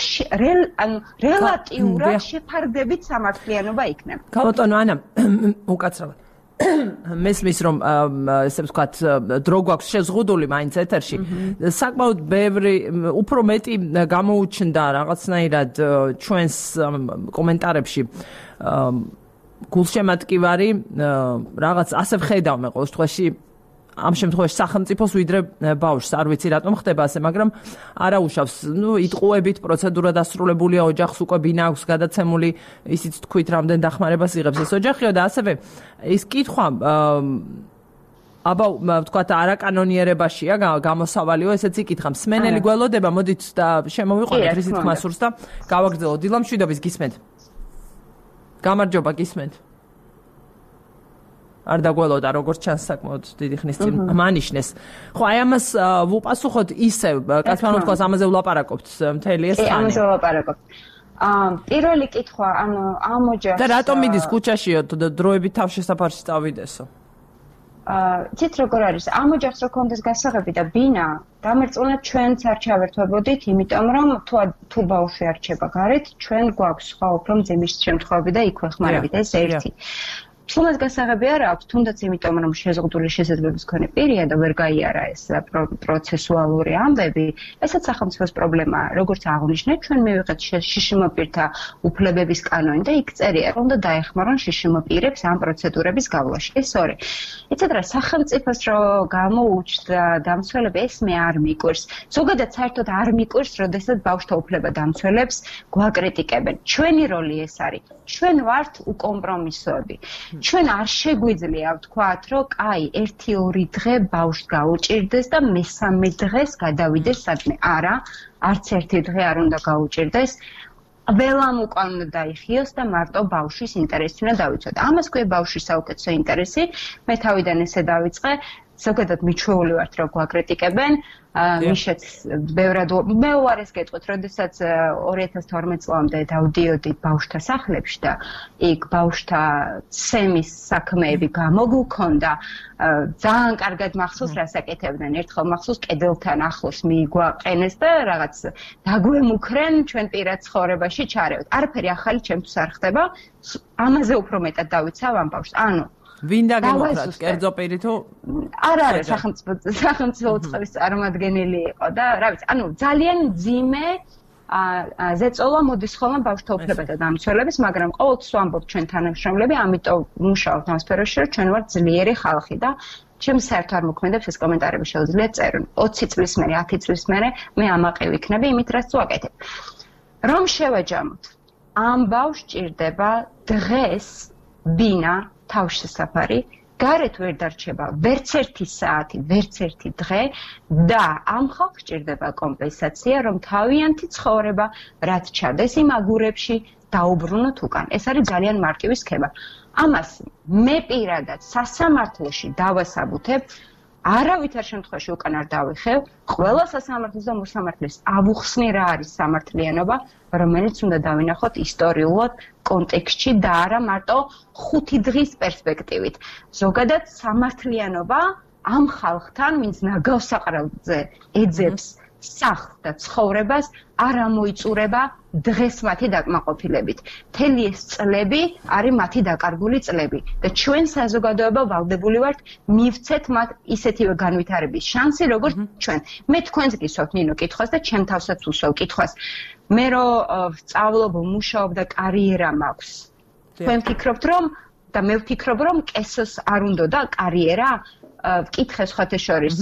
ანუ რელატიურად შეფარდებით სამართლიანობა იქნება. გაბატონო ანა, უკაცრავად მესმის რომ ესე ვთქვათ დრო გვაქვს შეზღუდული მაინც ეთერში. საკმაოდ ბევრი უფრო მეტი გამოუჩნდა რაღაცნაირად ჩვენს კომენტარებში გულშემატკივარი რაღაც ასე ვხედავ მე ყოველ შემთხვევაში ამ შემთხვევაში სახელმწიფოს ვიდრე ბავშვს. არ ვიცი რატომ ხდება ასე, მაგრამ არა უშავს. ნუ იტყუებით პროცედურა დასრულებულია, ოჯახს უკვე ბინა აქვს გადაცემული, ისიც თქვით რამდენ დახმარებას იღებს ეს ოჯახიო და ასევე ის კითხვა აბა ვთქვათ არაკანონიერებაშია გამოსავალიო, ესეც იკითხა. მსმენელი გველოდება, მოდით და შემოვიყვანოთ რისით ხმასურს და გავაგრძელოთ. დილა მშვიდობის, გისმენთ? გამარჯობა, გისმენთ? არ დაგველოდა, როგორც ჩანს საკმაოდ დიდი ხნის წინ მანიშნეს. ხო, აი ამას ვუპასუხოთ ისევ, კაცმანო თქვას ამაზე ვლაპარაკობთ მთელი ეს ხანი. ამაზე ვლაპარაკობთ. აა პირველი კითხვა, ანუ ამ ოჯახს და რატომ მიდის ქუჩაშიო დროებით თავშესაფარში წავიდესო? აა ცით როგორ არის, ამ ოჯახს რო კონდეს გასაღები და ბინა, დამერწმუნეთ ჩვენც არ ჩავერთვებოდით, იმიტომ რომ თუ თუ ბავშვი არჩება გარეთ, ჩვენ გვაქვს სხვა უფრო მძიმის შემთხვევები და იქვე ხმარებით, ეს ერთი. თუნდაც გასაღები არ აქვს, თუნდაც იმიტომ რომ შეზღუდული შესაძლებლობის მქონე პირია და ვერ გაიარა ეს პროცესუალური ამბები, ესაც სახელმწიფოს პრობლემაა. როგორც აღნიშნეთ, ჩვენ მივიღეთ შიშიმოპირთა უფლებების კანონი და იქ წერია, რომ უნდა დაეხმარონ შიშიმოპირებს ამ პროცედურების გავლაში. ეს ორი. იცით რა, სახელმწიფოს რო გამოუჩნდა დამცველები, ეს მე არ მიკვირს. ზოგადად საერთოდ არ მიკვირს, როდესაც ბავშვთა უფლება დამცველებს გვაკრიტიკებენ. ჩვენი როლი ეს არის. ჩვენ ვართ უკომპრომისოები. ჩვენ არ შეგვიძლია ვთქვათ, რომ კაი, ერთი ორი დღე ბავშვს გაუჭირდეს და მესამე დღეს გადავიდეს სადმე. არა, არც ერთი დღე არ უნდა გაუჭირდეს. ველამ უკან უნდა დაიხიოს და მარტო ბავშვის ინტერესი უნდა დავიცოთ. ამას ქვია ბავშვის საუკეთესო ინტერესი. მე თავიდან ესე დავიწყე. ზოგადად მიჩვეული ვართ, რომ გვაკრიტიკებენ. მიშეც ბევრად მე უარეს გეტყვით, როდესაც ორი ათას თორმეტ წლამდე დავდიოდი ბავშვთა სახლებში და იქ ბავშვთა ცემის საქმეები გამოგუქონდა, ძალიან კარგად მახსოვს რას აკეთებდნენ. ერთხელ მახსოვს კედელთან ახლოს მიგვაყენეს და რაღაც დაგვემუქრენ ჩვენ პირად ცხოვრებაში ჩარევთ. არაფერი ახალი ჩემთვის არ ხდება. ამაზე უფრო მეტად დავიცავ ამ ბავშვს. ანუ ვინ დაგემოხრათ, კერძო პირი თუ? არა, არა, სახელმწიფო სახელმწიფო უწყების წარმომადგენელი იყო და რა ვიცი, ანუ ძალიან მძიმე ზეწოლა მოდის ხოლმე ბავშვთა უფლებათა დამცველების, მაგრამ ყოველთვის ვამბობ ჩვენ თანამშრომლები, ამიტომ ვმუშაობთ ამ სფეროში, რომ ჩვენ ვართ ძლიერი ხალხი და ჩემს საერთოდ არ მოქმედებს ეს კომენტარები შეუძლია წერონ. ოცი წლის მერე, ათი წლის მერე მე ამაყი ვიქნები იმით, რაც ვაკეთებ. რომ შევაჯამოთ, ამ ბავშვს ჭირდება დღეს ბინა თავშესაფარი, გარეთ ვერ დარჩება ვერც ერთი საათი, ვერც ერთი დღე და ამ ხალხს ჭირდება კომპენსაცია, რომ თავიანთი ცხოვრება რაც ჩადეს იმ აგურებში დაუბრუნოთ უკან. ეს არის ძალიან მარტივი სქემა. ამას მე პირადად სასამართლოში დავასაბუთებ, არავითარ შემთხვევაში უკან არ დავიხევ, ყველა სასამართლოს და მოსამართლეს ავუხსნი რა არის სამართლიანობა, რომელიც უნდა დავინახოთ ისტორიულად კონტექსტში და არა მარტო ხუთი დღის პერსპექტივით. ზოგადად სამართლიანობა ამ ხალხთან, ვინც ნაგავსაყრელზე ეძებს სახლს და ცხოვრებას, არ ამოიწურება დღეს მათი დაკმაყოფილებით. მთელი ეს წლები არის მათი დაკარგული წლები და ჩვენ საზოგადოება ვალდებული ვართ მივცეთ მათ ისეთივე განვითარების შანსი, როგორც ჩვენ. მე თქვენს გისვათ ნინო კითხვას და ჩემ თავსაც უსვევ კითხვას. მე რო სწავლობ, მუშაობ და კარიერა მაქვს. თქვენ ფიქრობთ რომ და მე ვფიქრობ რომ კესოს არ უნდა და კარიერა ვკითხე სხვათა შორის,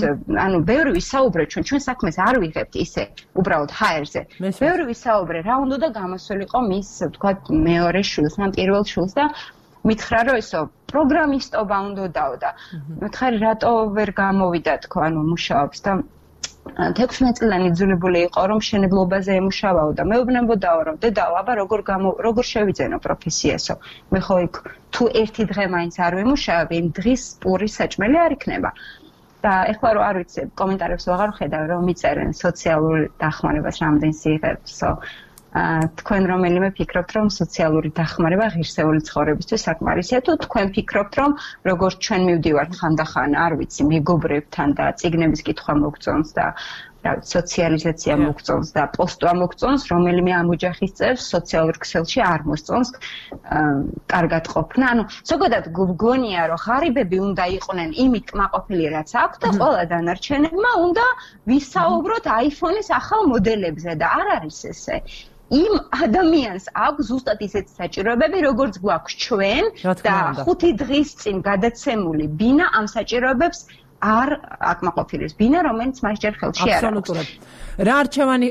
ანუ ბევრი ვისაუბრე ჩვენ, ჩვენ საქმეს არ ვიღებთ ისე, უბრალოდ ჰაერზე. ბევრი ვისაუბრე, რა უნდა და გამოსულიყო მის, ვთქვათ, მეორე შვილს, ან პირველ შვილს და მითხრა რომ ესო პროგრამისტობა უნდა დაო და მითხარი რატო ვერ გამოვიდა თქო, ანუ მუშაობს და თექვსმეტ წლიანი იძულებული იყო რომ მშენებლობაზე ემუშავაო და მეუბნებოდაო რომ დედაო, აბა როგორ გამო როგორ შევიძენო პროფესიასო. მე ხო იქ თუ ერთი დღე მაინც არ ვიმუშავებ, იმ დღის პურის საჭმელი არ იქნება. და ეხლა რომ არ ვიცი, კომენტარებს ვაღარ ვხედავ, რომ მიწერენ სოციალურ დახმარებას რამდენს იღებსო. თქვენ რომელიმე ფიქრობთ რომ სოციალური დახმარება ღირსეული ცხოვრებისთვის საკმარისია, თუ თქვენ ფიქრობთ რომ როგორც ჩვენ მივდივართ ხანდახან, არ ვიცი, მეგობრებთან და წიგნების კითხვა მოგწონს და რა ვიცი, სოციალიზაცია მოგწონს და პოსტვა მოგწონს, რომელიმე ამ ოჯახის წევრს სოციალურ ქსელში არ მოსწონს კარგად ყოფნა. ანუ ზოგადად გგონია რომ ღარიბები უნდა იყვნენ იმით კმაყოფილი რაც აქვს და ყველა დანარჩენებმა უნდა ვისაუბროთ აიფონის ახალ მოდელებზე და არ არის ესე. იმ ადამიანს აქვს ზუსტად ისეთი საჭიროებები, როგორც გვაქვს ჩვენ და ხუთი დღის წინ გადაცემული ბინა ამ საჭიროებებს არ აკმაყოფილებს ბინა, რომელიც მას ჯერ ხელში არ აქვს. აბსოლუტურად. რა არჩევანი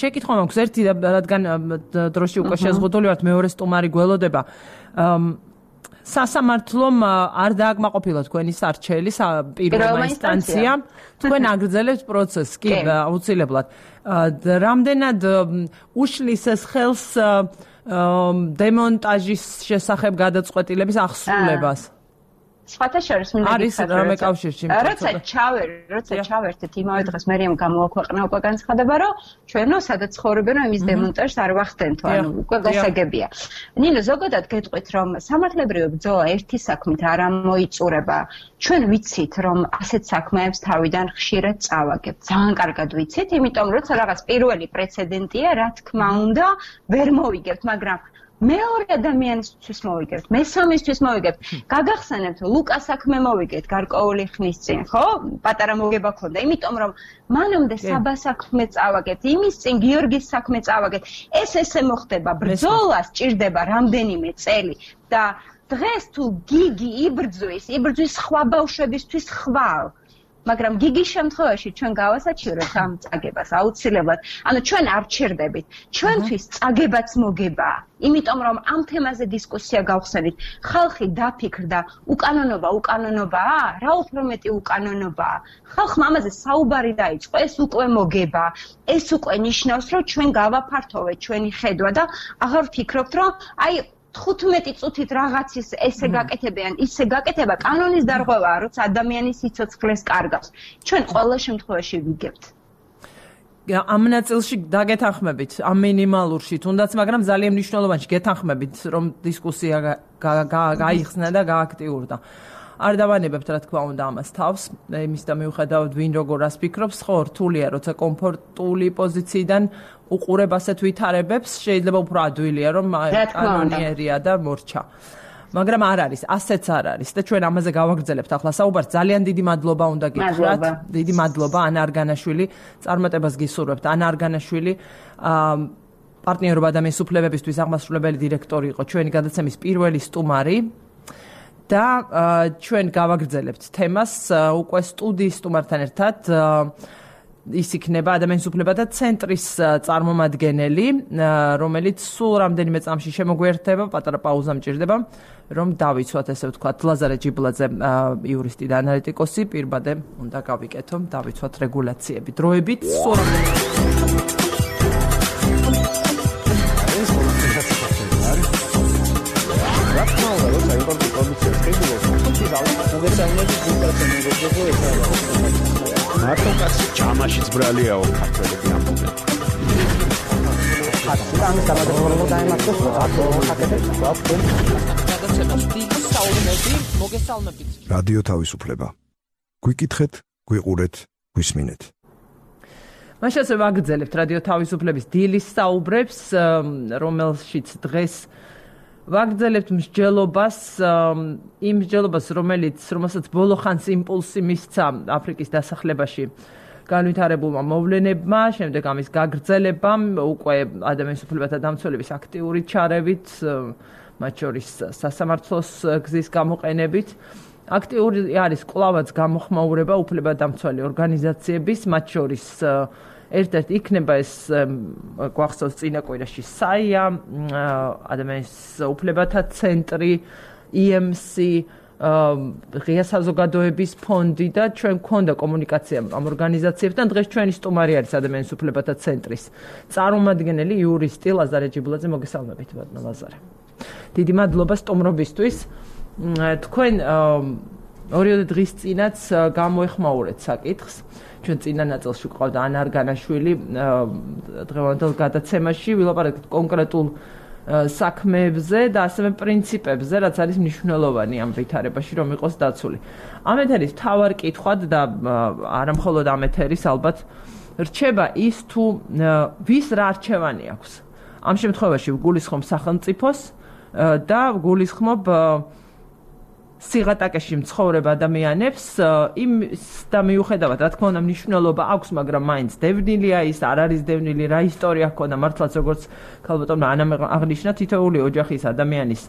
შეკითხვა მაქვს ერთი, რადგან დროში უკვე შეზღუდული ვართ, მეორე სტუმარი გველოდება. სასამართლომ არ დააკმაყოფილა თქვენი სარჩელი პირველმა ინსტანციამ, თქვენ აგრძელებთ პროცესს, კი, აუცილებლად. რამდენად უშლის ეს ხელს დემონტაჟის შესახებ გადაწყვეტილების აღსრულებას? სხვათა შორის მინდა არის რამე კავშირში როცა ჩავერ როცა ჩავერთეთ იმავე დღეს მერიამ გამოაქვეყნა უკვე განცხადება რომ ჩვენო სადაც ცხოვრობენ რომ იმის დემონტაჟს არ ვახდენთო ანუ უკვე გასაგებია ნინო ზოგადად გეტყვით რომ სამართლებრივი ბრძოლა ერთი საქმით არ ამოიწურება ჩვენ ვიცით რომ ასეთ საქმეებს თავიდან ხშირად წავაგებთ ძალიან კარგად ვიცით იმიტომ როცა რაღაც პირველი პრეცედენტია რა თქმა უნდა ვერ მოვიგებთ მაგრამ მეორე ადამიანისთვის მოვიგებთ, მესამისთვის მოვიგებთ. გაგახსენებთ, ლუკას საქმე მოვიგეთ გარკვეული ხნის წინ, ხო? პატარა მოგება ქონდა, იმიტომ რომ მანამდე საბას საქმე წავაგეთ, იმის წინ გიორგის საქმე წავაგეთ. ეს ესე მოხდება, ბრძოლა სჭირდება რამდენიმე წელი და დღეს თუ გიგი იბრძვის, იბრძვის სხვა ბავშვებისთვის ხვალ. მაგრამ გიგის შემთხვევაში ჩვენ გავასაჩივრებთ ამ წაგებას აუცილებლად. ანუ ჩვენ არ ჩერდებით. ჩვენთვის წაგებაც მოგება. იმიტომ რომ ამ თემაზე დისკუსია გავხსენით. ხალხი დაფიქრდა, უკანონობა, უკანონობაა? რა უფრო მეტი უკანონობაა? ხალხმა ამაზე საუბარი დაიწყო, ეს უკვე მოგება. ეს უკვე ნიშნავს, რომ ჩვენ გავაფართოვეთ ჩვენი ხედვა და აღარ ვფიქრობთ, რომ აი თხუთმეტი წუთით რაღაცის ესე გაკეთებიან, ისე გაკეთება კანონის დარღვევაა, როცა ადამიანის სიცოცხლეს კარგავს. ჩვენ ყველა შემთხვევაში ვიგებთ. ამ ნაწილში დაგეთანხმებით, ამ მინიმალურში, თუნდაც, მაგრამ ძალიან მნიშვნელოვანში გეთანხმებით, რომ დისკუსია გაიხსნა და გააქტიურდა. არ დავანებებთ, რა თქმა უნდა, ამას თავს, იმის და მიუხედავად ვინ როგორ რას ფიქრობს, ხო, რთულია, როცა კომფორტული პოზიციიდან უყურებ ასეთ ვითარებებს, შეიძლება უფრო ადვილია, რომ კანონიერია და მორჩა. მაგრამ არ არის, ასეც არ არის და ჩვენ ამაზე გავაგრძელებთ ახლა საუბარს. ძალიან დიდი მადლობა უნდა გითხრათ. დიდი მადლობა ანა არგანაშვილი, წარმატებას გისურვებთ. ანა არგანაშვილი პარტნიორობა ადამიანის უფლებებისთვის აღმასრულებელი დირექტორი იყო ჩვენი გადაცემის პირველი სტუმარი. და ჩვენ გავაგრძელებთ თემას უკვე სტუდიის სტუმართან ერთად ის იქნება ადამიანის უფლებათა ცენტრის წარმომადგენელი რომელიც სულ რამდენიმე წამში შემოგვიერთდება პატარა პაუზა მჭირდება რომ დავიცვათ ესე ვთქვათ ლაზარე ჯიბლაძე იურისტი და ანალიტიკოსი პირბადე უნდა გავიკეთო დავიცვათ რეგულაციები დროებით სულ მარტო კაცი ჯამაშიც ბრალიაო ქართველები ამბობენ. ხატი დამატებულად დაემართოს რატო ხატებს ვაფრთხილ. გადაცემას დიდი საუბნები მოგესალმებით. რადიო თავისუფლება. გვიკითხეთ, გვიყურეთ, გვისმინეთ. მაშინ ასე ვაგრძელებთ რადიო თავისუფლების დილის საუბრებს, რომელშიც დღეს ვაგრძელებთ მსჯელობას, იმ მსჯელობას, რომელიც რომელსაც ბოლო ხანს იმპულსი მისცა აფრიკის დასახლებაში განვითარებულმა მოვლენებმა, შემდეგ ამის გაგრძელებამ, უკვე ადამიანის უფლებათა დამცველების აქტიური ჩარევით, მათ შორის სასამართლოს გზის გამოყენებით. აქტიური არის კვლავაც გამოხმაურება უფლებადამცველი ორგანიზაციების, მათ შორის ერთ-ერთი იქნება ეს გვახსოვს წინა კვირაში საია, ადამიანის უფლებათა ცენტრი, ი ემ სი, ღია საზოგადოების ფონდი და ჩვენ გვქონდა კომუნიკაცია ამ ორგანიზაციებთან. დღეს ჩვენი სტუმარი არის ადამიანის უფლებათა ცენტრის წარმომადგენელი იურისტი ლაზარე ჯიბლაძე. მოგესალმებით, ბატონო ლაზარე. დიდი მადლობა სტუმრობისთვის. თქვენ ორივე დღის წინაც გამოეხმაურეთ საკითხს. ჩვენ წინა ნაწილში გვყავდა ანა არგანაშვილი დღევანდელ გადაცემაში ვილაპარაკეთ კონკრეტულ საქმეებზე და ასევე პრინციპებზე, რაც არის მნიშვნელოვანი ამ ვითარებაში, რომ იყოს დაცული. ამ ეთერის მთავარ კითხვად და არა მხოლოდ ამ ეთერის ალბათ რჩება ის თუ ვის რა არჩევანი აქვს. ამ შემთხვევაში ვგულისხმობ სახელმწიფოს და ვგულისხმობ სიღატაკეში მცხოვრებ ადამიანებს იმის და მიუხედავად, რა თქმა უნდა, მნიშვნელობა აქვს, მაგრამ მაინც დევნილია ის, არ არის დევნილი, რა ისტორია ჰქონდა, მართლაც როგორც ქალბატონმა ანამ აღნიშნა, თითოეული ოჯახის ადამიანის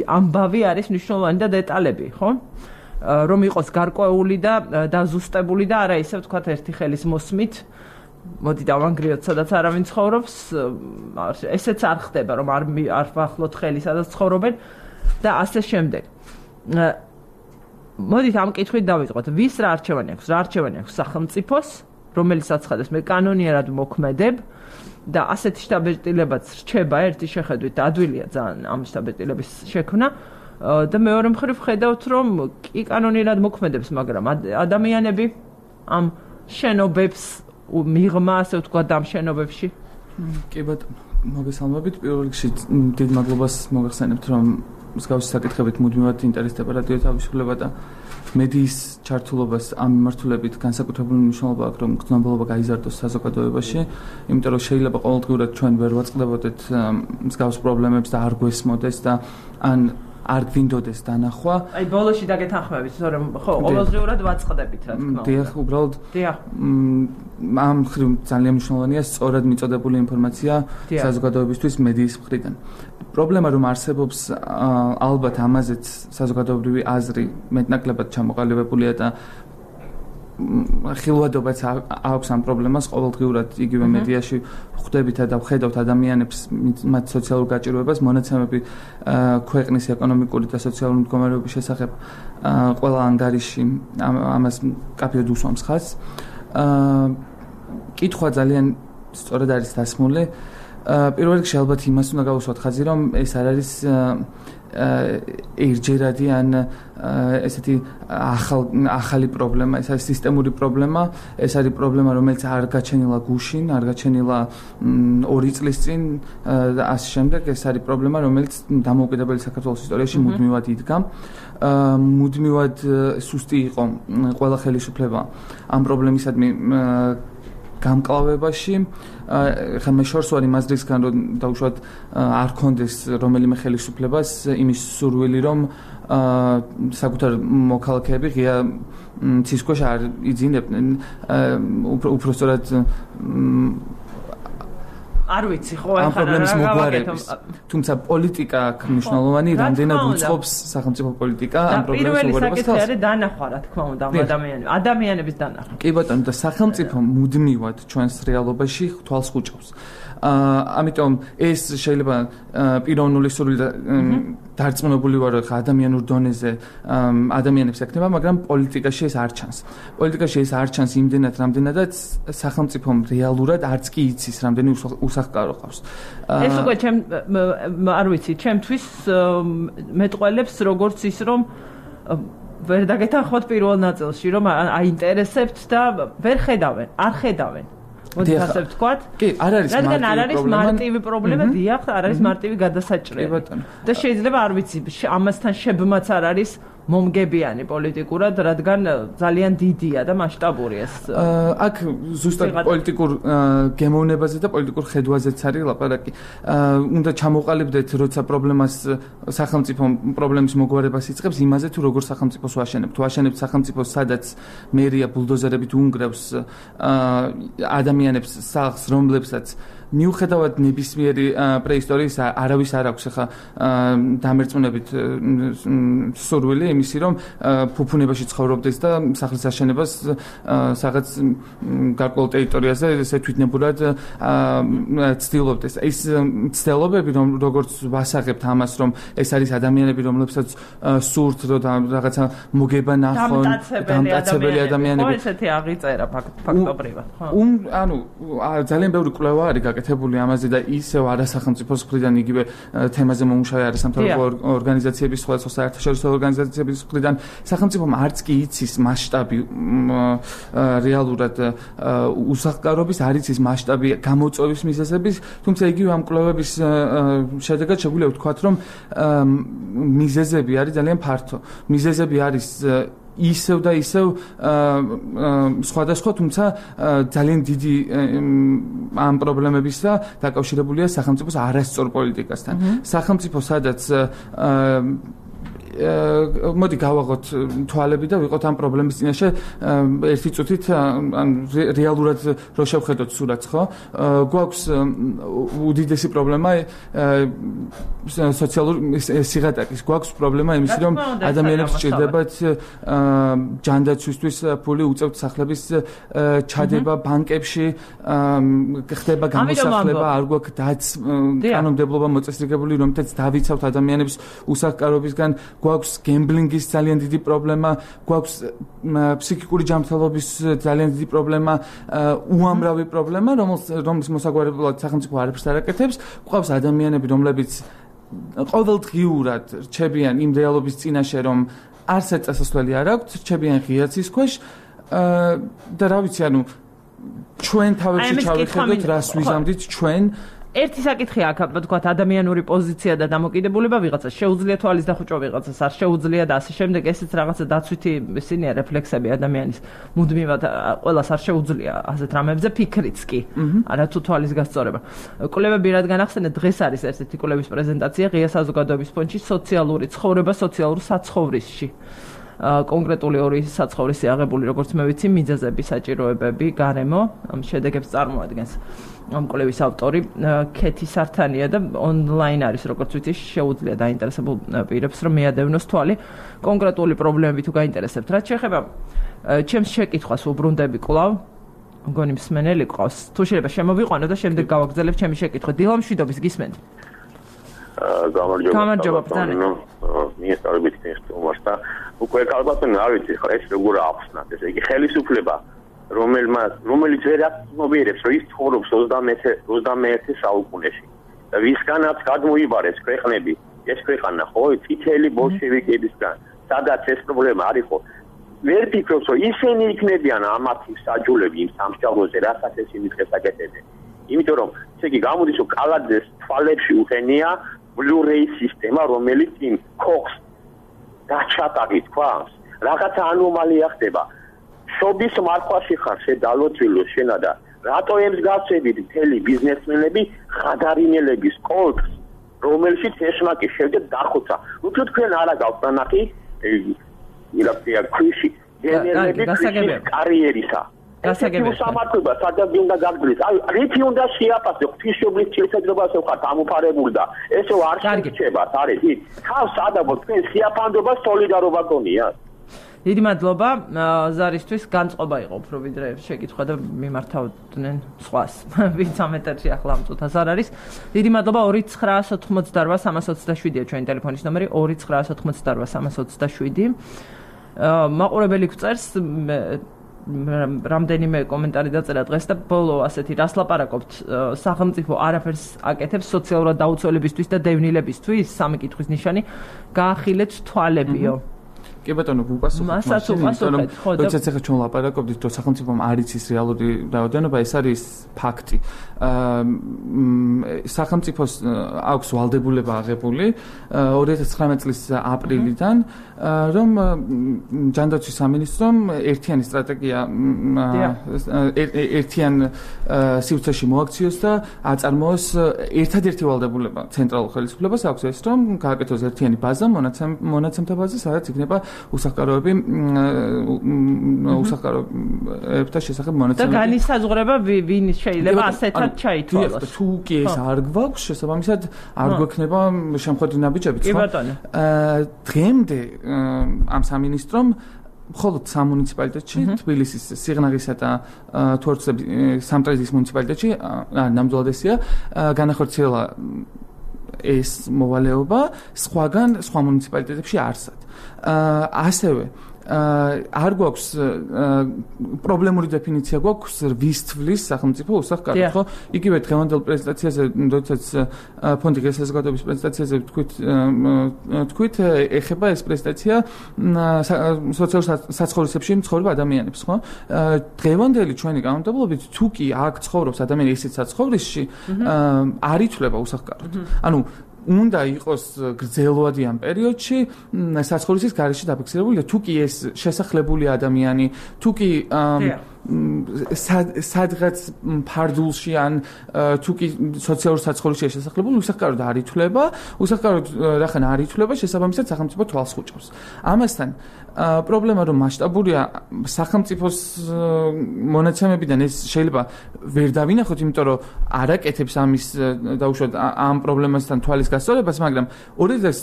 ამბავი არის მნიშვნელოვანი და დეტალები, ხო? რომ იყოს გარკვეული და დაზუსტებული და არა ისე ვთქვათ ერთი ხელის მოსმით მოდი დავანგრიოთ სადაც არავინ ცხოვრობს ესეც არ ხდება რომ არ არ ვახლოთ ხელი სადაც ცხოვრობენ და ასე შემდეგ მოდით ამ კითხვით დავიწყოთ ვის რა არჩევანი აქვს რა არჩევანი აქვს სახელმწიფოს რომელიც აცხადებს მე კანონიერად მოქმედებ და ასეთი შტაბ-ბეჭდილებაც რჩება ერთი შეხედვით ადვილია ძალიან ამ შტაბ-ბეჭდილების შექმნა და მეორე მხრივ ხედავთ რომ კი კანონიერად მოქმედებს მაგრამ ადამიანები ამ შენობებს მიღმა ასე ვთქვათ ამ შენობებში კი ბატონო მოგესალმებით პირველ რიგში დიდ მადლობას მოგახსენებთ რომ მსგავსი საკითხებით მუდმივად ინტერესდება რადიო თავისუფლება და მედიის ჩართულობას ამ მიმართულებით განსაკუთრებული მნიშვნელობა აქვს რომ გრძნობელობა გაიზარდოს საზოგადოებაში იმიტომ რომ შეიძლება ყოველდღიურად ჩვენ ვერ ვაწყდებოდეთ მსგავს პრობლემებს და არ გვესმოდეს და ან არ გვინდოდეს დანახვა. აი ბოლოში დაგეთანხმებით, რომ ხო, ყოველდღიურად ვაწყდებით, რა თქმა უნდა. დიახ, უბრალოდ დიახ. ამ მხრივ ძალიან მნიშვნელოვანია სწორად მიწოდებული ინფორმაცია საზოგადოებისთვის მედიის მხრიდან. პრობლემა რომ არსებობს ალბათ ამაზეც საზოგადოებრივი აზრი მეტნაკლებად ჩამოყალიბებულია და ხილვადობაც აქვს ამ პრობლემას ყოველდღიურად იგივე მედიაში ხვდებით და ვხედავთ ადამიანებს მათ სოციალურ გაჭირვებას მონაცემები ქვეყნის ეკონომიკური და სოციალური მდგომარეობის შესახებ ყველა ანგარიში ამას კაფეოდ უსვამს ხაზს კითხვა ძალიან სწორად არის დასმული პირველ რიგში ალბათ იმას უნდა გავუსვათ ხაზი რომ ეს არ არის ერთჯერადი ან ესეთი ახალი პრობლემა, ეს არის სისტემური პრობლემა, ეს არის პრობლემა, რომელიც არ გაჩენილა გუშინ, არ გაჩენილა ორი წლის წინ და ასე შემდეგ, ეს არის პრობლემა, რომელიც დამოუკიდებელი საქართველოს ისტორიაში მუდმივად იდგა. მუდმივად სუსტი იყო ყველა ხელისუფლება ამ პრობლემისადმი გამკლავებაში ხა მე შორს ვარ იმ აზრისგან რომ დაუშვათ არ კონდეს რომელიმე ხელისუფლებას იმის სურვილი რომ საკუთარ მოქალაქეები ღია ცის ქვეშ არ იძინებდნენ უფრო სწორად არ ვიცი ხო ამ პრობლემის მოგვარების თუმცა პოლიტიკა აქვს მნიშვნელოვანი რამდენად უწყობს სახელმწიფო პოლიტიკა ამ პრობლემის მოგვარებას პირველი საკითხი არის დანახვა რა თქმა უნდა ადამიანების ადამიანების დანახვა კი ბატონო და სახელმწიფო მუდმივად ჩვენს რეალობაში თვალს ხუჭავს ამიტომ ეს შეიძლება პიროვნული სურვილი და დარწმუნებული ვარ რომ ადამიანურ დონეზე ადამიანებს ეკნება მაგრამ პოლიტიკაში ეს არ ჩანს პოლიტიკაში ეს არ ჩანს იმდენად რამდენადაც სახელმწიფომ რეალურად არც კი იცის რამდენი უსახკარო ყავს ეს უკვე ჩემ არ ვიცი ჩემთვის მეტყველებს როგორც ის რომ ვერ დაგეთანხმოთ პირველ ნაწილში რომ აინტერესებთ და ვერ ხედავენ არ ხედავენ მოდი ასე ვთქვათ კი არ არის რადგან არ არის მარტივი პრობლემა დიახ არ არის მარტივი გადასაჭრელი და შეიძლება არ ვიცი ამასთან შებმაც არ არის მომგებიანი პოლიტიკურად რადგან ძალიან დიდია და მასშტაბური ეს აქ ზუსტად პოლიტიკურ გემოვნებაზე და პოლიტიკურ ხედვაზეც არის ლაპარაკი უნდა ჩამოყალიბდეთ როცა პრობლემას სახელმწიფო პრობლემის მოგვარებას იწყებს იმაზე თუ როგორ სახელმწიფოს ვაშენებთ თუ ვაშენებთ სახელმწიფოს სადაც მერია ბულდოზერებით უნგრევს ადამიანებს სახლს რომლებსაც მიუხედავად ნებისმიერი პრეისტორიის არავის არ აქვს ახლა დამერწმუნებით სურვილი იმისი რომ ფუფუნებაში ცხოვრობდეს და სახლის აშენებას სადაც გარკვეულ ტერიტორიაზე ესე თვითნებურად ცდილობდეს ეს ცდილობები რომ როგორც ვასაღებთ ამას რომ ეს არის ადამიანები რომლებსაც სურთ რომ რაღაცა მოგება ნახონ დამტაცებელი ადამიანები ესეთი აღიწერა ფაქტობრივად ხო ანუ ძალიან ბევრი კვლევა არის გაკეთებული ამაზე და ისევ არასახელმწიფო მხრიდან იგივე თემაზე მომუშავე არასამთავრობო ორგანიზაციების სხვადასხვა საერთაშორისო ორგანიზაციების მხრიდან სახელმწიფომ არც კი იცის მასშტაბი რეალურად უსახკარობის არ იცის მასშტაბი გამოწვევის მიზეზების თუმცა იგივე ამ კვლევების შედეგად შეგვიძლია ვთქვათ რომ მიზეზები არის ძალიან ფართო მიზეზები არის ისევ და ისევ სხვადასხვა თუმცა ძალიან დიდი ამ პრობლემებისა დაკავშირებულია სახელმწიფოს არასწორ პოლიტიკასთან. სახელმწიფო სადაც მოდი გავაღოთ თვალები და ვიყოთ ამ პრობლემის წინაშე ერთი წუთით ან რეალურად რო შევხედოთ სურათს, ხო? გვაქვს უდიდესი პრობლემა სოციალური სიღატაკის, გვაქვს პრობლემა იმის, რომ ადამიანებს სჭირდებათ ჯანდაცვისთვის ფული, უწევთ სახლების ჩადება ბანკებში, ხდება გამოსახლება, არ გვაქვს დაც კანონმდებლობა მოწესრიგებული, რომლითაც დავიცავთ ადამიანებს უსახკარობისგან, გვაქვს გემბლინგის ძალიან დიდი პრობლემა, გვაქვს ფსიქიკური ჯანმრთელობის ძალიან დიდი პრობლემა, უამრავი პრობლემა, რომლის მოსაგვარებლად სახელმწიფო არაფერს არ აკეთებს, გვყავს ადამიანები, რომლებიც ყოველდღიურად რჩებიან იმ რეალობის წინაშე, რომ არცერთ წასასვლელი არ აქვთ, რჩებიან ღია ცის ქვეშ და რა ვიცი, ანუ ჩვენ თავებში ჩავიხედოთ, რას ვიზამდით ჩვენ. ერთი საკითხი აქ, ვთქვათ, ადამიანური პოზიცია და დამოკიდებულება ვიღაცას შეუძლია თვალის დახუჭვა, ვიღაცას არ შეუძლია და ასე შემდეგ, ესეც რაღაცა დაცვითი ისინია რეფლექსები ადამიანის მუდმივად ყველას არ შეუძლია ასეთ რამებზე ფიქრიც კი, არა თუ თვალის გასწორება. კვლევები რადგან ახსენეთ, დღეს არის ერთ-ერთი კვლევის პრეზენტაცია ღია საზოგადოების ფონდში სოციალური ცხოვრება სოციალურ საცხოვრისში. კონკრეტული ორი საცხოვრისი აღებული, როგორც მე ვიცი, მიზეზები, საჭიროებები, გარემო, ამ შედეგებს წარმოადგენს. ამ კვლევის ავტორი ქეთი სართანია და ონლაინ არის, როგორც ვიცი, შეუძლია დაინტერესებულ პირებს, რომ მიადევნოს თვალი კონკრეტული პრობლემები თუ გაინტერესებთ. რაც შეეხება ჩემს შეკითხვას უბრუნდები კვლავ, მგონი მსმენელი ყავს. თუ შეიძლება შემოვიყვანო და შემდეგ გავაგრძელებ ჩემი შეკითხვა. დილა მშვიდობის გისმენთ? გამარჯობა. გამარჯობა, ბრძანე. მიესწრებით თემას და უკვე ალბათონ არ ვიცი ხა ეს როგორ ახსნათ, ესე იგი ხელისუფლება რომელმაც რომელიც ვერ აცნობიერებს, რომ ის ცხოვრობს ოცდამეერთე საუკუნეში და ვისგანაც გადმოიბარეს ქვეყნები, ეს ქვეყანა ხო წითელი ბოლშევიკებისგან, სადაც ეს პრობლემა არ იყო. ვერ ფიქრობს, რომ ისინი იქნებიან ამათი საჯულები იმ სამსჯავროზე, რასაც ეს იმითხეს აკეთებენ. იმიტომ რომ ესე იგი გამოდის, რომ კალაძეს თვალებში უხენია Blu-ray სისტემა, რომელიც იმ ქოხს დაჩატაგით ქვას, რაღაცა ანომალია ხდება. შობის მარხვაში ხარ შედალოცვილო შენა და რატო ემს გასწევით მთელი ბიზნესმენები ხადარინელების კოლხს, რომელშიც ეშმაკი შევდეთ დახოცა. უფრო თქვენ არა გაქვთ ნახი, ირაფია ქუში გენერები კარიერისა. გასაგებია. სამართლობა სადაც უნდა გაგრძელდეს. აი, რითი უნდა შეაფასო ღვთისმშობლის შესაძლებლობას ხარ დამუფარებული და ესო არ შეჩება, არის ის. თავს ადაბო თქვენ სიაფანდობას სოლიდარობა გონია. დიდი მადლობა ზარისთვის, განწყობა იყო უფრო ვიდრე შეკითხვა და მიმართავდნენ სხვას. ვინც ამ ეთერში ახლა ამ წუთას არ არის. დიდი მადლობა ორი ცხრაას ოთხმოცდარბა სამას ოცდაშვიდია ჩვენი ტელეფონის ნომერი ორი ცხრაას ოთხმოცდარბა სამას ოცდაშვიდი. მაყურებელი გვწერს რამდენიმე კომენტარი დაწერა დღეს და ბოლო ასეთი რას ლაპარაკობთ, სახელმწიფო არაფერს აკეთებს სოციალურად დაუცველებისთვის და დევნილებისთვის, სამი კითხვის ნიშანი, გაახილეთ თვალებიო. კი ბატონო, ვუპასუხოთ მასაც უპასუხეთ, ხო და როდესაც ახლა ჩვენ ლაპარაკობთ, რომ სახელმწიფომ არ იცის რეალური რაოდენობა, ეს არის ფაქტი. სახელმწიფოს აქვს ვალდებულება აღებული ორი ათას ცხრამეტ წლის აპრილიდან, რომ ჯანდაცვის სამინისტრომ ერთიანი სტრატეგია ერთიან სივრცეში მოაქციოს და აწარმოოს ერთადერთი ვალდებულება ცენტრალურ ხელისუფლებას აქვს ეს, რომ გააკეთოს ერთიანი ბაზა, მონაცემთა ბაზა, სადაც იქნება უსახკაროები უსახკაროებთა შესახებ მონაცემები. და განისაზღვრება ვინ შეიძლება ასეთად ჩაითვალოს. თუ კი ეს არ გვაქვს, შესაბამისად არ გვექნება შემხედრი ნაბიჯებიც, ხო? კი ბატონო. დღემდე ამ სამინისტრომ მხოლოდ სამ მუნიციპალიტეტში, თბილისის, სიღნაღისა და თორცების სამტრედიის მუნიციპალიტეტში, ნამდვილად ესია, განახორციელა ეს მოვალეობა, სხვაგან სხვა მუნიციპალიტეტებში არსად. ასევე არ გვაქვს პრობლემური დეფინიცია გვაქვს ვის თვლის სახელმწიფო უსახკაროდ, ხო? იგივე დღევანდელ პრეზენტაციაზე, როდესაც ფონდი ღია საზოგადოების პრეზენტაციაზე თქვით, თქვით, ეხება ეს პრეზენტაცია სოციალურ საცხოვრისებში მცხოვრებ ადამიანებს, ხო? დღევანდელი ჩვენი კანონმდებლობით, თუ კი აქ ცხოვრობს ადამიანი ისეთ საცხოვრისში, არ ითვლება უსახკაროდ. ანუ უნდა იყოს გრძელვადი ამ პერიოდში საცხოვრისის გარეშე დაფიქსირებული და თუ კი ეს შესახლებული ადამიანი, თუ კი სადღაც ფარდულში ან თუ კი სოციალურ საცხოვრებელში შესაძლებელი უსახკაროდ არ ითვლება, უსახკაროდ რახან არ ითვლება, შესაბამისად სახელმწიფო თვალს ხუჭავს. ამასთან პრობლემა რომ მასშტაბურია სახელმწიფოს მონაცემებიდან ეს შეიძლება ვერ დავინახოთ, იმიტომ რომ არ აკეთებს ამის დაუშვათ ამ პრობლემასთან თვალის გასწორებას, მაგრამ ორი ათას